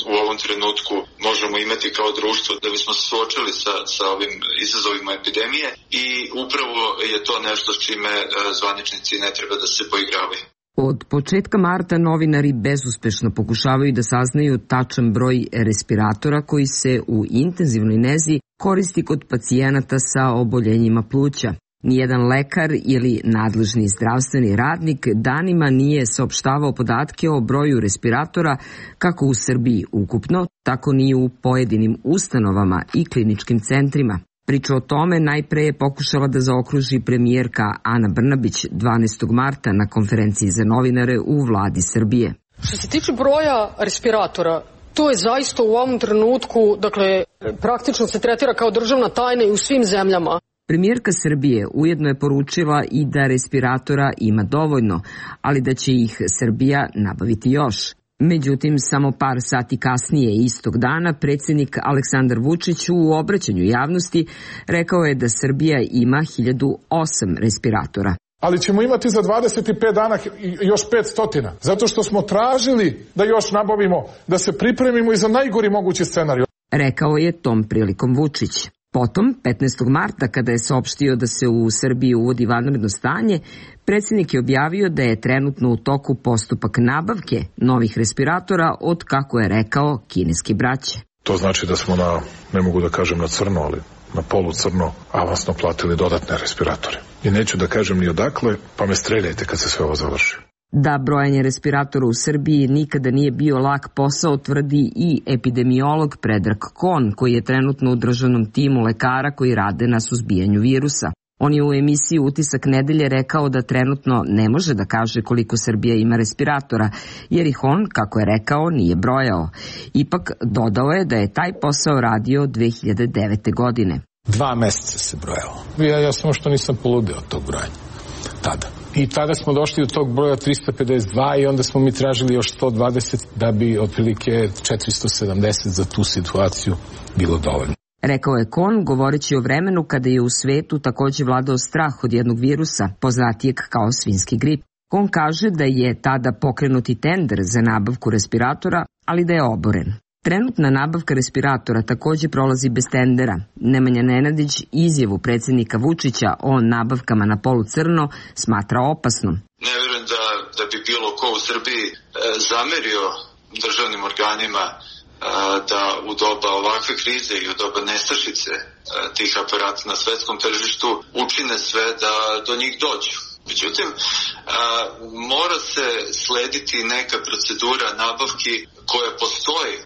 I: u ovom trenutku možemo imati kao društvo da bismo se suočili sa, sa ovim izazovima epidemije i upravo je to nešto s čime e, zvaničnici ne treba da se poigravaju.
L: Od početka marta novinari bezuspešno pokušavaju da saznaju tačan broj respiratora koji se u intenzivnoj nezi koristi kod pacijenata sa oboljenjima pluća. Nijedan lekar ili nadležni zdravstveni radnik danima nije saopštavao podatke o broju respiratora kako u Srbiji ukupno, tako ni u pojedinim ustanovama i kliničkim centrima. Priču o tome najpre je pokušala da zaokruži premijerka Ana Brnabić dvanaestog marta na konferenciji za novinare u vladi Srbije.
J: Što se tiče broja respiratora, to je zaista u ovom trenutku, dakle, praktično se tretira kao državna tajna i u svim zemljama.
L: Premijerka Srbije ujedno je poručila i da respiratora ima dovoljno, ali da će ih Srbija nabaviti još. Međutim, samo par sati kasnije istog dana predsjednik Aleksandar Vučić u obraćanju javnosti rekao je da Srbija ima hiljadu osam respiratora.
M: Ali ćemo imati za dvadeset pet dana još petsto, zato što smo tražili da još nabavimo, da se pripremimo i za najgori mogući scenarij.
L: Rekao je tom prilikom Vučić. Potom, petnaestog marta, kada je saopštio da se u Srbiji uvodi vanredno stanje, predsjednik je objavio da je trenutno u toku postupak nabavke novih respiratora od, kako je rekao, kineske braće.
M: To znači da smo na, ne mogu da kažem na crno, ali na polu crno avansno platili dodatne respiratore. I neću da kažem ni odakle, pa me streljajte kad se sve ovo završi.
L: Da brojanje respiratora u Srbiji nikada nije bio lak posao, tvrdi i epidemiolog Predrag Kon, koji je trenutno u državnom timu lekara koji rade na suzbijanju virusa. On je u emisiji Utisak nedelje rekao da trenutno ne može da kaže koliko Srbija ima respiratora, jer ih on, kako je rekao, nije brojao. Ipak dodao je da je taj posao radio dve hiljade devete. godine.
M: Dva meseca se brojalo. Ja, ja samo što nisam poludio od tog brojanja. Tada. I tada smo došli do tog broja trista pedeset dva i onda smo mi tražili još sto dvadeset da bi otprilike četiristo sedamdeset za tu situaciju bilo dovoljno.
L: Rekao je Kon, govoreći o vremenu kada je u svetu takođe vladao strah od jednog virusa, poznatijeg kao svinjski grip. Kon kaže da je tada pokrenuti tender za nabavku respiratora, ali da je oboren. Trenutna nabavka respiratora takođe prolazi bez tendera. Nemanja Nenadić izjavu predsjednika Vučića o nabavkama na polu crno smatra opasnom.
I: Ne vjerujem da, da bi bilo ko u Srbiji e, zamerio državnim organima e, da u doba ovakve krize i u doba nestašice e, tih aparata na svetskom tržištu učine sve da do njih dođu. Međutim, a, mora se slediti neka procedura nabavki koja postoji a,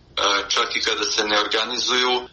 I: čak i kada se ne organizuju a,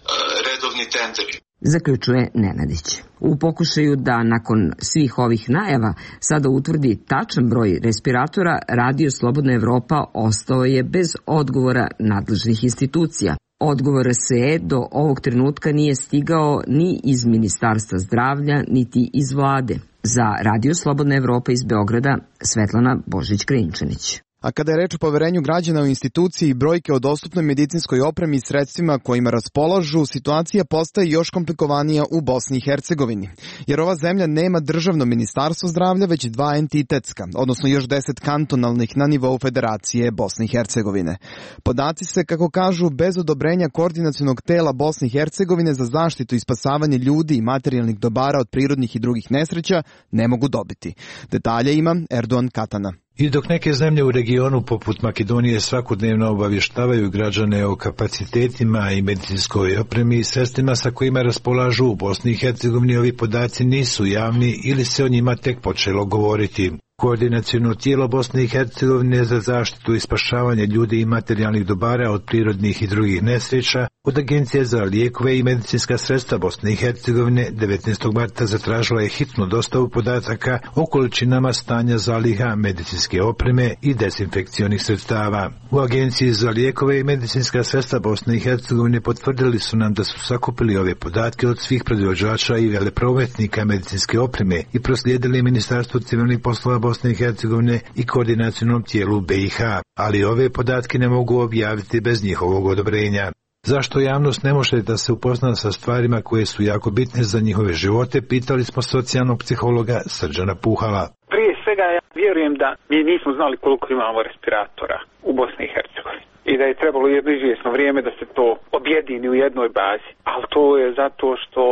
I: redovni tenderi.
L: Zaključuje Nenadić. U pokušaju da nakon svih ovih najava sada utvrdi tačan broj respiratora, Radio Slobodna Evropa ostao je bez odgovora nadležnih institucija. Odgovor R S E do ovog trenutka nije stigao ni iz Ministarstva zdravlja, niti iz vlade. Za Radio Slobodna Evropa iz Beograda, Svetlana Božić-Krajinčanić.
A: A kada je reč o poverenju građana u instituciji i brojke o dostupnoj medicinskoj opremi i sredstvima kojima raspolažu, situacija postaje još komplikovanija u Bosni i Hercegovini. Jer ova zemlja nema državno ministarstvo zdravlja, već dva entitetska, odnosno još deset kantonalnih na nivou Federacije Bosne i Hercegovine. Podaci se, kako kažu, bez odobrenja koordinacionog tela Bosne i Hercegovine za zaštitu i spasavanje ljudi i materijalnih dobara od prirodnih i drugih nesreća ne mogu dobiti. Detalje ima Erdogan Katana.
O: I dok neke zemlje u regionu poput Makedonije svakodnevno obavještavaju građane o kapacitetima i medicinskoj opremi i sredstvima sa kojima raspolažu u Bosni i Hercegovini, ovi podaci nisu javni ili se o njima tek počelo govoriti. Koordinaciono tijelo Bosne i Hercegovine za zaštitu i spašavanje ljudi i materijalnih dobara od prirodnih i drugih nesreća Od Agencije za lijekove i medicinska sredstva Bosne i Hercegovine devetnaestog marta zatražila je hitnu dostavu podataka o količinama stanja zaliha medicinske opreme i dezinfekcionih sredstava. U Agenciji za lijekove i medicinska sredstva Bosne i Hercegovine potvrdili su nam da su sakupili ove podatke od svih proizvođača i veleprometnika medicinske opreme i proslijedili Ministarstvu civilnih poslova Bosne i Hercegovine i koordinacionalnom tijelu B i H, ali ove podatke ne mogu objaviti bez njihovog odobrenja. Zašto javnost ne može da se upozna sa stvarima koje su jako bitne za njihove živote, pitali smo socijalnog psihologa Srđana Puhala.
W: Prije svega ja vjerujem da mi nismo znali koliko imamo respiratora u Bosni i Hercegovini i da je trebalo jedno izvjesno vrijeme da se to objedini u jednoj bazi, ali to je zato što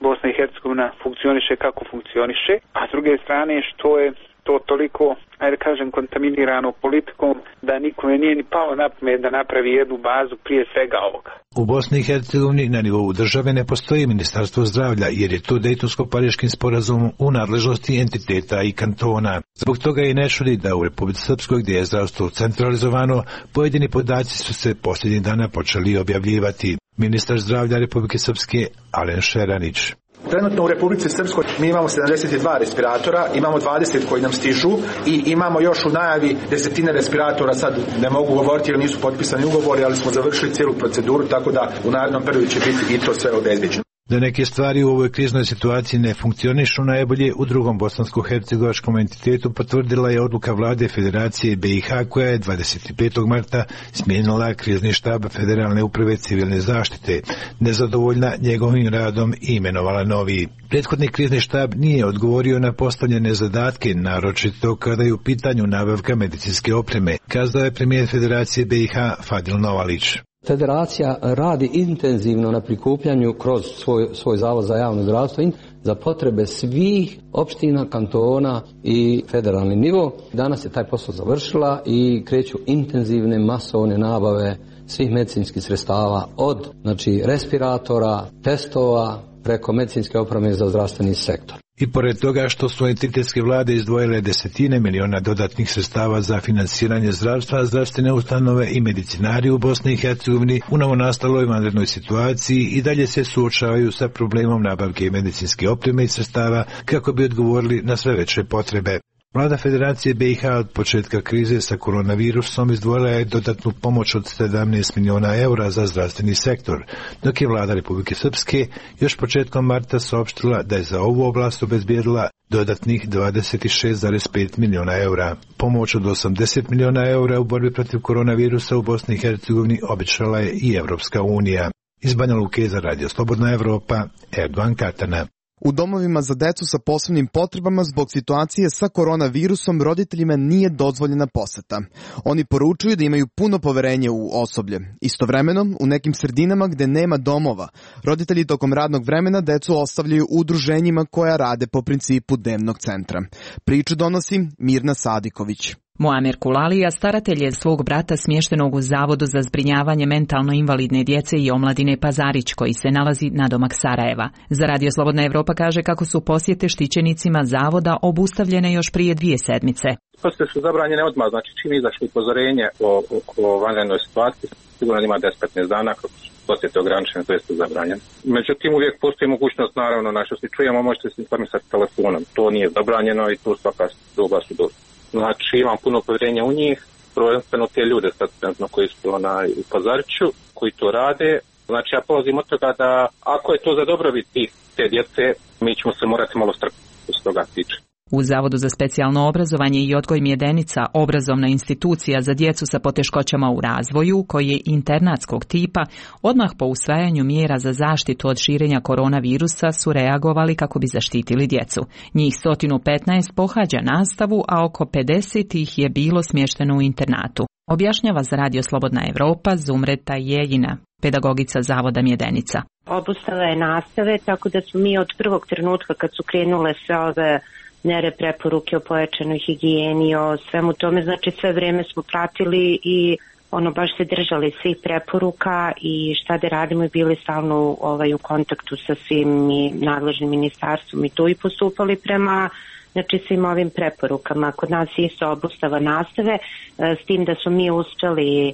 W: Bosna i Hercegovina funkcioniše kako funkcioniše, a s druge strane što je to toliko, ajde kažem, kontaminirano politikom da nikome nije ni palo na pamet da napravi jednu bazu prije svega ovoga.
O: U Bosni i Hercegovini na nivou države ne postoji Ministarstvo zdravlja jer je to Dejtonsko-Pariškim sporazumom u nadležnosti entiteta i kantona. Zbog toga i ne čudi da u Republici Srpskoj, gdje je zdravstvo centralizovano, pojedini podaci su se posljednjih dana počeli objavljivati. Ministar zdravlja Republike Srpske Alen Šeranić.
P: Trenutno u Republici Srpskoj mi imamo sedamdeset dva respiratora, imamo dvadeset koji nam stižu i imamo još u najavi desetine respiratora, sad ne mogu govoriti jer nisu potpisani ugovori, ali smo završili cijelu proceduru, tako da u narednom periodu će biti i to sve obezbeđeno.
O: Da neke stvari u ovoj kriznoj situaciji ne funkcionišu najbolje, u drugom bosansko-hercegovačkom entitetu potvrdila je odluka vlade Federacije B i H koja je dvadeset petog marta smijenila krizni štab Federalne uprave civilne zaštite, nezadovoljna njegovim radom i imenovala novi. Prethodni krizni štab nije odgovorio na postavljene zadatke, naročito kada je u pitanju nabavka medicinske opreme, kazao je premijer Federacije B i H Fadil Novalić.
Q: Federacija radi intenzivno na prikupljanju kroz svoj, svoj zavod za javno zdravstvo za potrebe svih opština, kantona i federalni nivo. Danas je taj posao završila i kreću intenzivne masovne nabave svih medicinskih sredstava od znači, respiratora, testova, preko medicinske opreme za zdravstveni sektor.
O: I pored toga što su entitetske vlade izdvojile desetine miliona dodatnih sredstava za finansiranje zdravstva, zdravstvene ustanove i medicinari u Bosni i Hercegovini u novonastaloj vanrednoj situaciji i dalje se suočavaju sa problemom nabavke medicinske opreme i sredstava kako bi odgovorili na sve veće potrebe. Vlada Federacije B i H od početka krize sa koronavirusom izdvojila je dodatnu pomoć od sedamnaest miliona eura za zdravstveni sektor, dok je vlada Republike Srpske još početkom marta saopštila da je za ovu oblast obezbijedila dodatnih dvadeset šest zarez pet miliona eura. Pomoć od osamdeset miliona eura u borbi protiv koronavirusa u Bosni i Hercegovini obećala je i Evropska unija. Iz Banja Luke za Radio Slobodna Evropa, Erdogan Katana.
A: U domovima za decu sa posebnim potrebama zbog situacije sa koronavirusom roditeljima nije dozvoljena poseta. Oni poručuju da imaju puno poverenje u osoblje. Istovremeno, u nekim sredinama gde nema domova, roditelji tokom radnog vremena decu ostavljaju u udruženjima koja rade po principu dnevnog centra. Priču donosi Mirna Sadiković.
R: Muamer Kulalija staratelj je svog brata smještenog u Zavodu za zbrinjavanje mentalno invalidne djece i omladine Pazarić, koji se nalazi nadomak Sarajeva. Za Radio Slobodna Evropa kaže kako su posjete štićenicima zavoda obustavljene još prije dvije sedmice.
S: Posjete su zabranjene odmah, znači čim izašlo upozorenje o, o, o vanrednoj situaciji, sigurno ima deset do petnaest dana kako su posjete ograničene, to jeste zabranjene. Međutim, uvijek postoji mogućnost, naravno, na što se čujemo, možete se informisati telefonom. To nije zabranjeno i tu svaka doba su dosta. Znači, imam puno povjerenja u njih, prvenstveno te ljude sad, koji su onaj, u Pazariću, koji to rade. Znači, ja polazim od toga da ako je to za dobrobit te djece, mi ćemo se morati malo strpiti što se toga tiče.
R: U Zavodu za specijalno obrazovanje i odgoj Mjedenica, obrazovna institucija za djecu sa poteškoćama u razvoju, koji je internatskog tipa, odmah po usvajanju mjera za zaštitu od širenja koronavirusa su reagovali kako bi zaštitili djecu. Njih sto petnaest pohađa nastavu, a oko pedeset ih je bilo smješteno u internatu. Objašnjava za Radio Slobodna Evropa Zumreta Jeljina, pedagogica Zavoda Mjedenica.
Y: Obustava je nastave, tako da smo mi od prvog trenutka kad su krenule sve ove mjere, preporuke o pojačanoj higijeni, o svemu tome, znači sve vrijeme smo pratili i ono baš se držali svih preporuka i šta da radimo i bili stalno ovaj, u kontaktu sa svim i nadležnim ministarstvom i tu i postupali prema znači svim ovim preporukama. Kod nas je isto obustava nastave, s tim da smo mi uspjeli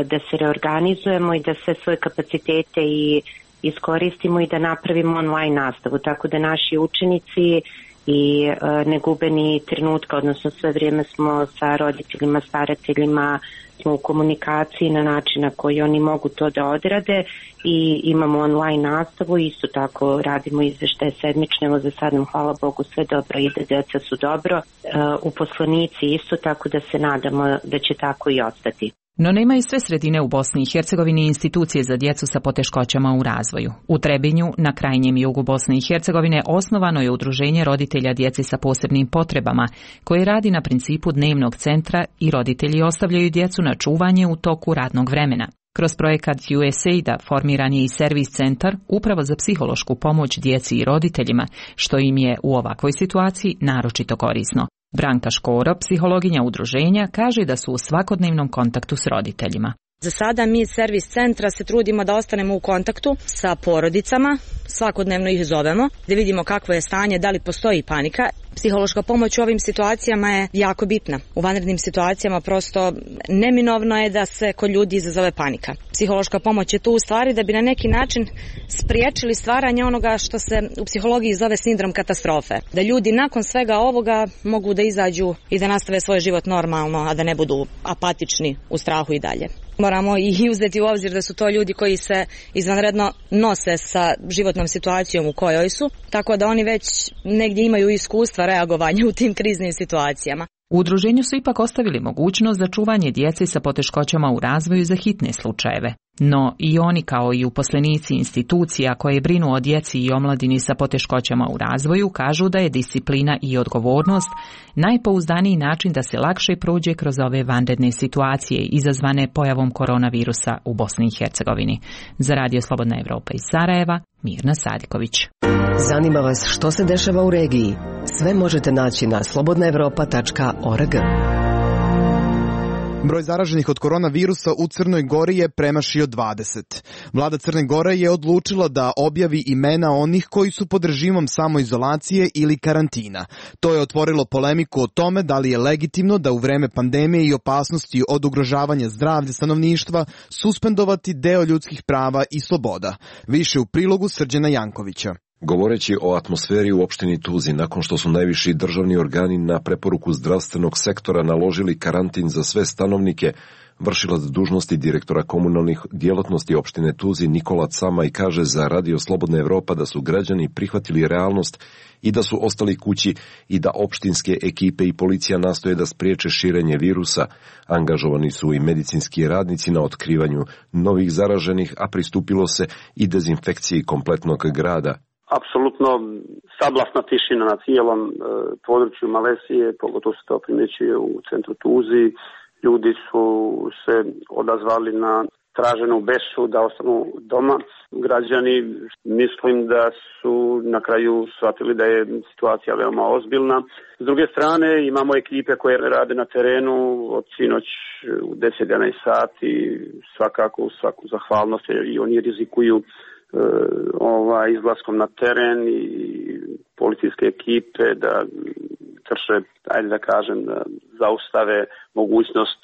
Y: da se reorganizujemo i da sve svoje kapacitete i iskoristimo i da napravimo online nastavu, tako da naši učenici i ne gube ni trenutka, odnosno sve vrijeme smo sa roditeljima, starateljima, smo u komunikaciji na način na koji oni mogu to da odrade i imamo online nastavu, isto tako radimo izveštaje sedmične, evo za sad nam hvala Bogu sve dobro ide, deca su dobro, uposlenici isto, tako da se nadamo da će tako i ostati.
R: No nema i sve sredine u Bosni i Hercegovini institucije za djecu sa poteškoćama u razvoju. U Trebinju, na krajnjem jugu Bosne i Hercegovine, osnovano je udruženje roditelja djeci sa posebnim potrebama, koje radi na principu dnevnog centra i roditelji ostavljaju djecu na čuvanje u toku radnog vremena. Kroz projekat U S A I D-a formiran je i servis centar upravo za psihološku pomoć djeci i roditeljima, što im je u ovakvoj situaciji naročito korisno. Branka Škoro, psihologinja udruženja, kaže da su u svakodnevnom kontaktu s roditeljima.
D: Za sada mi iz servis centra se trudimo da ostanemo u kontaktu sa porodicama, svakodnevno ih zovemo, da vidimo kakvo je stanje, da li postoji panika. Psihološka pomoć u ovim situacijama je jako bitna. U vanrednim situacijama prosto neminovno je da se kod ljudi izazove panika. Psihološka pomoć je tu u stvari da bi na neki način spriječili stvaranje onoga što se u psihologiji zove sindrom katastrofe. Da ljudi nakon svega ovoga mogu da izađu i da nastave svoj život normalno, a da ne budu apatični u strahu i dalje. Moramo i uzeti u obzir da su to ljudi koji se izvanredno nose sa životnom situacijom u kojoj su, tako da oni već negdje imaju iskustva reagovanja u tim kriznim situacijama.
R: U udruženju su ipak ostavili mogućnost za čuvanje djece sa poteškoćama u razvoju za hitne slučajeve. No i oni kao i uposlenici institucija koje brinu o djeci i omladini sa poteškoćama u razvoju kažu da je disciplina i odgovornost najpouzdaniji način da se lakše prođe kroz ove vanredne situacije izazvane pojavom koronavirusa u Bosni i Hercegovini. Za Radio Slobodna Evropa iz Sarajeva, Mirna Sadiković.
E: Zanima vas što se dešava u regiji? Sve možete naći na slobodna evropa tačka org.
A: Broj zaraženih od koronavirusa u Crnoj Gori je premašio dvadeset. Vlada Crne Gore je odlučila da objavi imena onih koji su pod režimom samoizolacije ili karantina. To je otvorilo polemiku o tome da li je legitimno da u vreme pandemije i opasnosti od ugrožavanja zdravlja stanovništva suspendovati deo ljudskih prava i sloboda. Više u prilogu Srđana Jankovića.
V: Govoreći o atmosferi u opštini Tuzi, nakon što su najviši državni organi na preporuku zdravstvenog sektora naložili karantin za sve stanovnike, vršilac dužnosti direktora komunalnih djelatnosti opštine Tuzi Nikola Camaj kaže za Radio Slobodna Evropa da su građani prihvatili realnost i da su ostali kući i da opštinske ekipe i policija nastoje da spriječe širenje virusa. Angažovani su i medicinski radnici na otkrivanju novih zaraženih, a pristupilo se i dezinfekciji kompletnog grada.
N: Apsolutno sablasna tišina na cijelom e, području Malesije, pogotovo se to primjećuje u centru Tuzi. Ljudi su se odazvali na traženu besu da ostanu doma. Građani mislim da su na kraju shvatili da je situacija veoma ozbiljna. S druge strane imamo ekipe koje rade na terenu od sinoć u deset do jedanaest sati, svakako svaku zahvalnost jer i oni rizikuju ovaj izlaskom na teren i policijske ekipe da krše, ajde da kažem, da zaustave mogućnost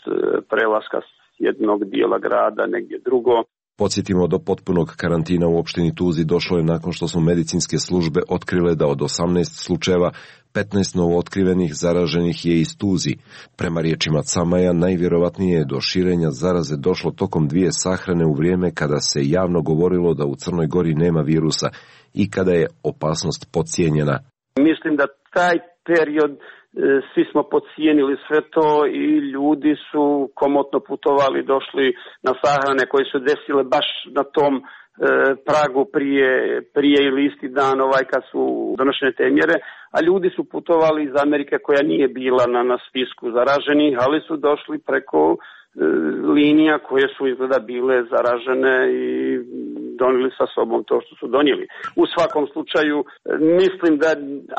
N: prelaska s jednog dijela grada negdje drugo.
V: Podsjetimo, do potpunog karantina u opštini Tuzi došlo je nakon što su medicinske službe otkrile da od osamnaest slučajeva petnaest novootkrivenih zaraženih je iz Tuzi. Prema riječima Camaja, najvjerovatnije je do širenja zaraze došlo tokom dvije sahrane u vrijeme kada se javno govorilo da u Crnoj Gori nema virusa i kada je opasnost podcijenjena.
N: Mislim da taj period svi smo podcijenili sve to i ljudi su komotno putovali, došli na sahrane koje su desile baš na tom e, pragu prije, prije ili isti dan ovaj kad su donošene te mjere, a ljudi su putovali iz Amerike koja nije bila na, na spisku zaraženih, ali su došli preko e, linija koje su izgleda bile zaražene i donijeli sa sobom to što su donijeli. U svakom slučaju mislim da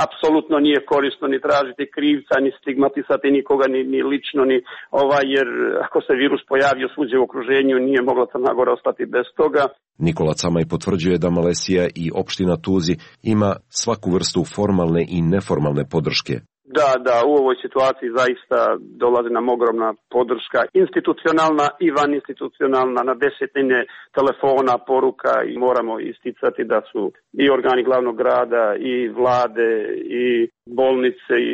N: apsolutno nije korisno ni tražiti krivca, ni stigmatisati nikoga, ni, ni lično, ni ovaj, jer ako se virus pojavio svuđe u okruženju, nije mogla Crna Gora ostati bez toga.
V: Nikola Camaj potvrđuje da Malesija i opština Tuzi ima svaku vrstu formalne i neformalne podrške.
N: Da, da, u ovoj situaciji zaista dolazi nam ogromna podrška, institucionalna i van institucionalna, na desetine telefona, poruka, i moramo isticati da su i organi glavnog grada, i vlade, i bolnice, i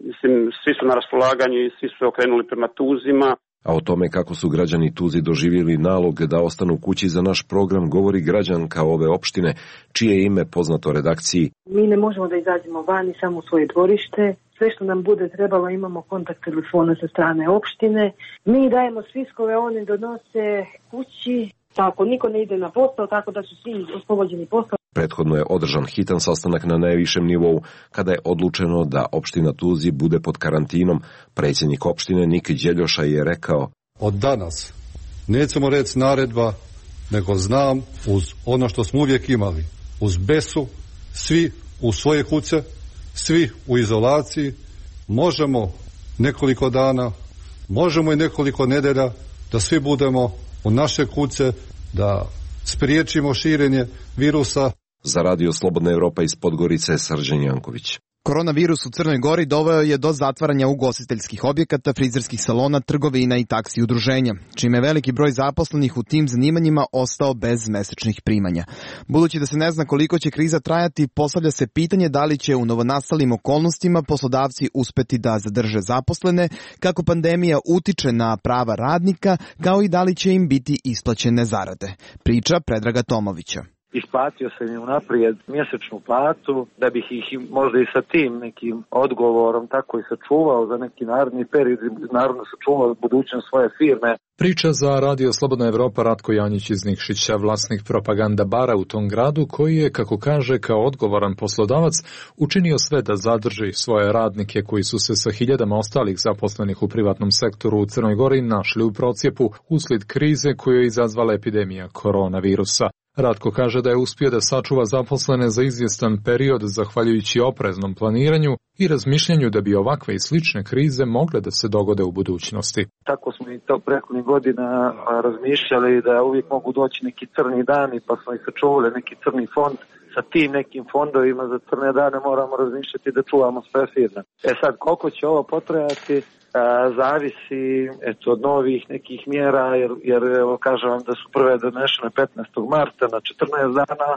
N: mislim, svi su na raspolaganju i svi su okrenuli prema Tuzima.
V: A o tome kako su građani Tuzi doživjeli nalog da ostanu kući za naš program govori građanka ove opštine, čije ime poznato redakciji.
B: Mi ne možemo da izađemo vani, samo u svoje dvorište. Sve što nam bude trebalo, imamo kontakt telefona sa strane opštine. Mi dajemo spiskove, oni donose kući. Tako, niko ne ide na posao, tako da su svi oslobođeni posao.
V: Prethodno je održan hitan sastanak na najvišem nivou, kada je odlučeno da opština Tuzi bude pod karantinom. Predsjednik opštine Nik Đeljoša je rekao:
C: Od danas nećemo reći naredba, nego znam uz ono što smo uvijek imali. Uz besu, svi u svoje kuće, svi u izolaciji, možemo nekoliko dana, možemo i nekoliko nedelja da svi budemo u naše kuće, da spriječimo širenje virusa.
V: Za Radio Slobodna Evropa iz Podgorice, Srđan Janković.
A: Koronavirus u Crnoj Gori doveo je do zatvaranja ugostiteljskih objekata, frizerskih salona, trgovina i taksi udruženja, čime je veliki broj zaposlenih u tim zanimanjima ostao bez mesečnih primanja. Budući da se ne zna koliko će kriza trajati, postavlja se pitanje da li će u novonastalim okolnostima poslodavci uspeti da zadrže zaposlene, kako pandemija utiče na prava radnika, kao i da li će im biti isplaćene zarade. Priča Predraga Tomovića.
F: Isplatio sam im unaprijed mjesečnu platu, da bih ih možda i sa tim nekim odgovorom tako i sačuvao za neki naredni period, naravno sačuvao budućnost svoje firme.
T: Priča za Radio Slobodna Evropa Ratko Janjić iz Nikšića, vlasnik propaganda bara u tom gradu, koji je, kako kaže, kao odgovoran poslodavac učinio sve da zadrži svoje radnike koji su se sa hiljadama ostalih zaposlenih u privatnom sektoru u Crnoj Gori našli u procjepu uslijed krize koju je izazvala epidemija koronavirusa. Ratko kaže da je uspio da sačuva zaposlene za izvjestan period zahvaljujući opreznom planiranju i razmišljanju da bi ovakve i slične krize mogle da se dogode u budućnosti.
F: Tako smo i to prethodnih godina razmišljali da uvijek mogu doći neki crni dani, pa smo i sačuvali neki crni fond. Sa tim nekim fondovima za crne dane moramo razmišljati da čuvamo sve firme. E sad, koliko će ovo potrajati, a, zavisi eto, od novih nekih mjera, jer, jer evo, kažem vam da su prve donešene petnaestog marta na četrnaest dana,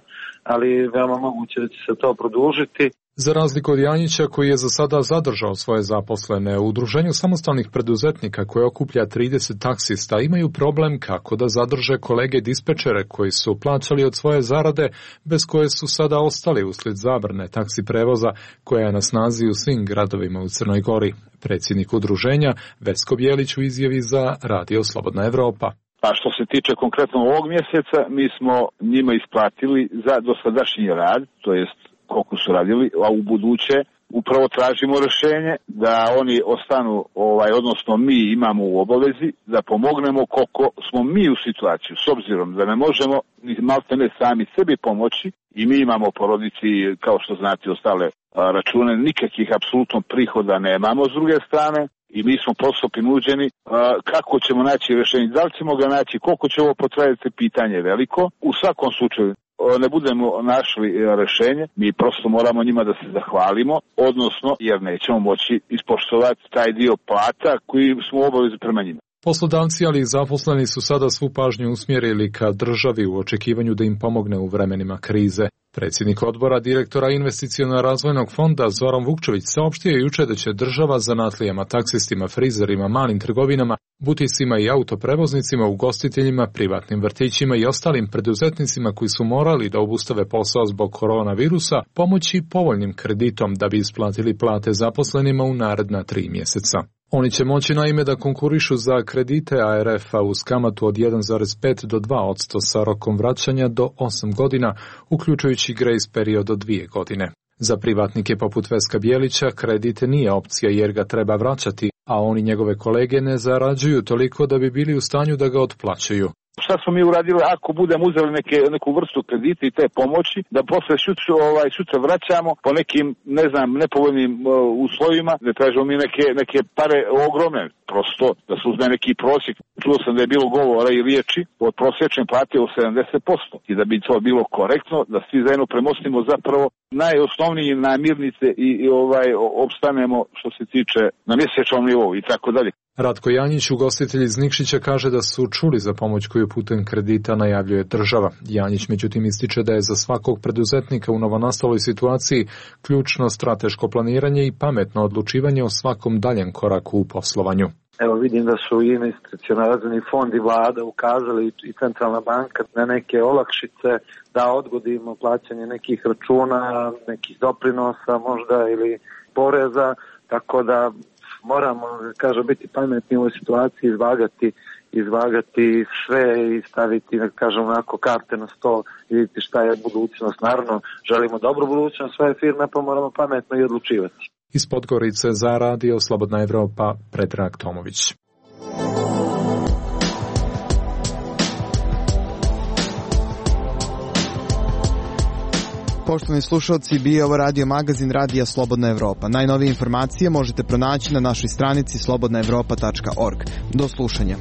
F: ali veoma moguće da će se to produžiti.
T: Za razliku od Janjića, koji je za sada zadržao svoje zaposlene, u Udruženju samostalnih preduzetnika koje okuplja trideset taksista imaju problem kako da zadrže kolege dispečere koji su plaćali od svoje zarade, bez koje su sada ostali uslijed zabrane taksi prevoza koja je na snazi u svim gradovima u Crnoj Gori. Predsjednik udruženja Vesko Bjelić u izjavi za Radio Slobodna Evropa.
U: A što se tiče konkretno ovog mjeseca, mi smo njima isplatili za dosadašnji rad, to jest koliko su radili, a u buduće upravo tražimo rješenje da oni ostanu, ovaj, odnosno mi imamo u obavezi da pomognemo koliko smo mi u situaciju, s obzirom da ne možemo ni malte ne sami sebi pomoći i mi imamo porodici, kao što znate, ostale račune, nikakvih apsolutno prihoda nemamo s druge strane i mi smo prosto prinuđeni kako ćemo naći rješenje, da li ćemo ga naći, koliko će ovo potrajati, pitanje je veliko. U svakom slučaju ne budemo našli rješenje, mi prosto moramo njima da se zahvalimo, odnosno jer nećemo moći ispoštovati taj dio plata koji smo u obavezi prema njima.
T: Poslodavci, ali i zaposleni su sada svu pažnju usmjerili ka državi u očekivanju da im pomogne u vremenima krize. Predsjednik odbora direktora Investiciono-razvojnog fonda Zoran Vukčević saopštio je juče da će država zanatlijama, taksistima, frizerima, malim trgovinama, butisima i autoprevoznicima, ugostiteljima, privatnim vrtićima i ostalim preduzetnicima koji su morali da obustave posao zbog koronavirusa pomoći povoljnim kreditom da bi isplatili plate zaposlenima u naredna tri mjeseca. Oni će moći naime da konkurišu za kredite A R F-a uz kamatu od jedan zarez pet do dva posto sa rokom vraćanja do osam godina, uključujući grace period od dvije godine. Za privatnike poput Veska Bjelića kredit nije opcija jer ga treba vraćati, a oni njegove kolege ne zarađuju toliko da bi bili u stanju da ga otplaćuju.
U: Šta smo mi uradili ako budemo uzeli neke, neku vrstu kredita i te pomoći, da posle sutra, ovaj, sutra vraćamo po nekim, ne znam, nepovoljnim uh, uslovima, da tražimo mi neke, neke pare ogromne, prosto da se uzme neki prosjek. Čuo sam da je bilo govora i riječi od prosječne plate u sedamdeset posto i da bi to bilo korektno, da svi zajedno premostimo zapravo najosnovnije namirnice i, i ovaj opstanemo što se tiče na mjesečnom nivou i tako dalje.
T: Ratko Janjić, ugostitelj iz Nikšića, kaže da su čuli za pomoć koju putem kredita najavljuje država. Janjić međutim ističe da je za svakog preduzetnika u novonastaloj situaciji ključno strateško planiranje i pametno odlučivanje o svakom daljem koraku u poslovanju.
F: Evo vidim da su i institucionalni fond i vlada ukazali i centralna banka na neke olakšice da odgodimo plaćanje nekih računa, nekih doprinosa možda ili poreza, tako da moramo, kažem, biti pametni u ovoj situaciji, izvagati, izvagati sve i staviti, kažem, onako karte na sto i vidjeti šta je budućnost. Naravno, želimo dobru budućnost svoje firme, pa moramo pametno i odlučivati.
T: Iz Podgorice za radio Slobodna Evropa, Predrag Tomović.
A: Poštovani slušalci, bio ovo radio magazin Radija Slobodna Evropa. Najnovije informacije možete pronaći na našoj stranici slobodna evropa tačka org. Do slušanja.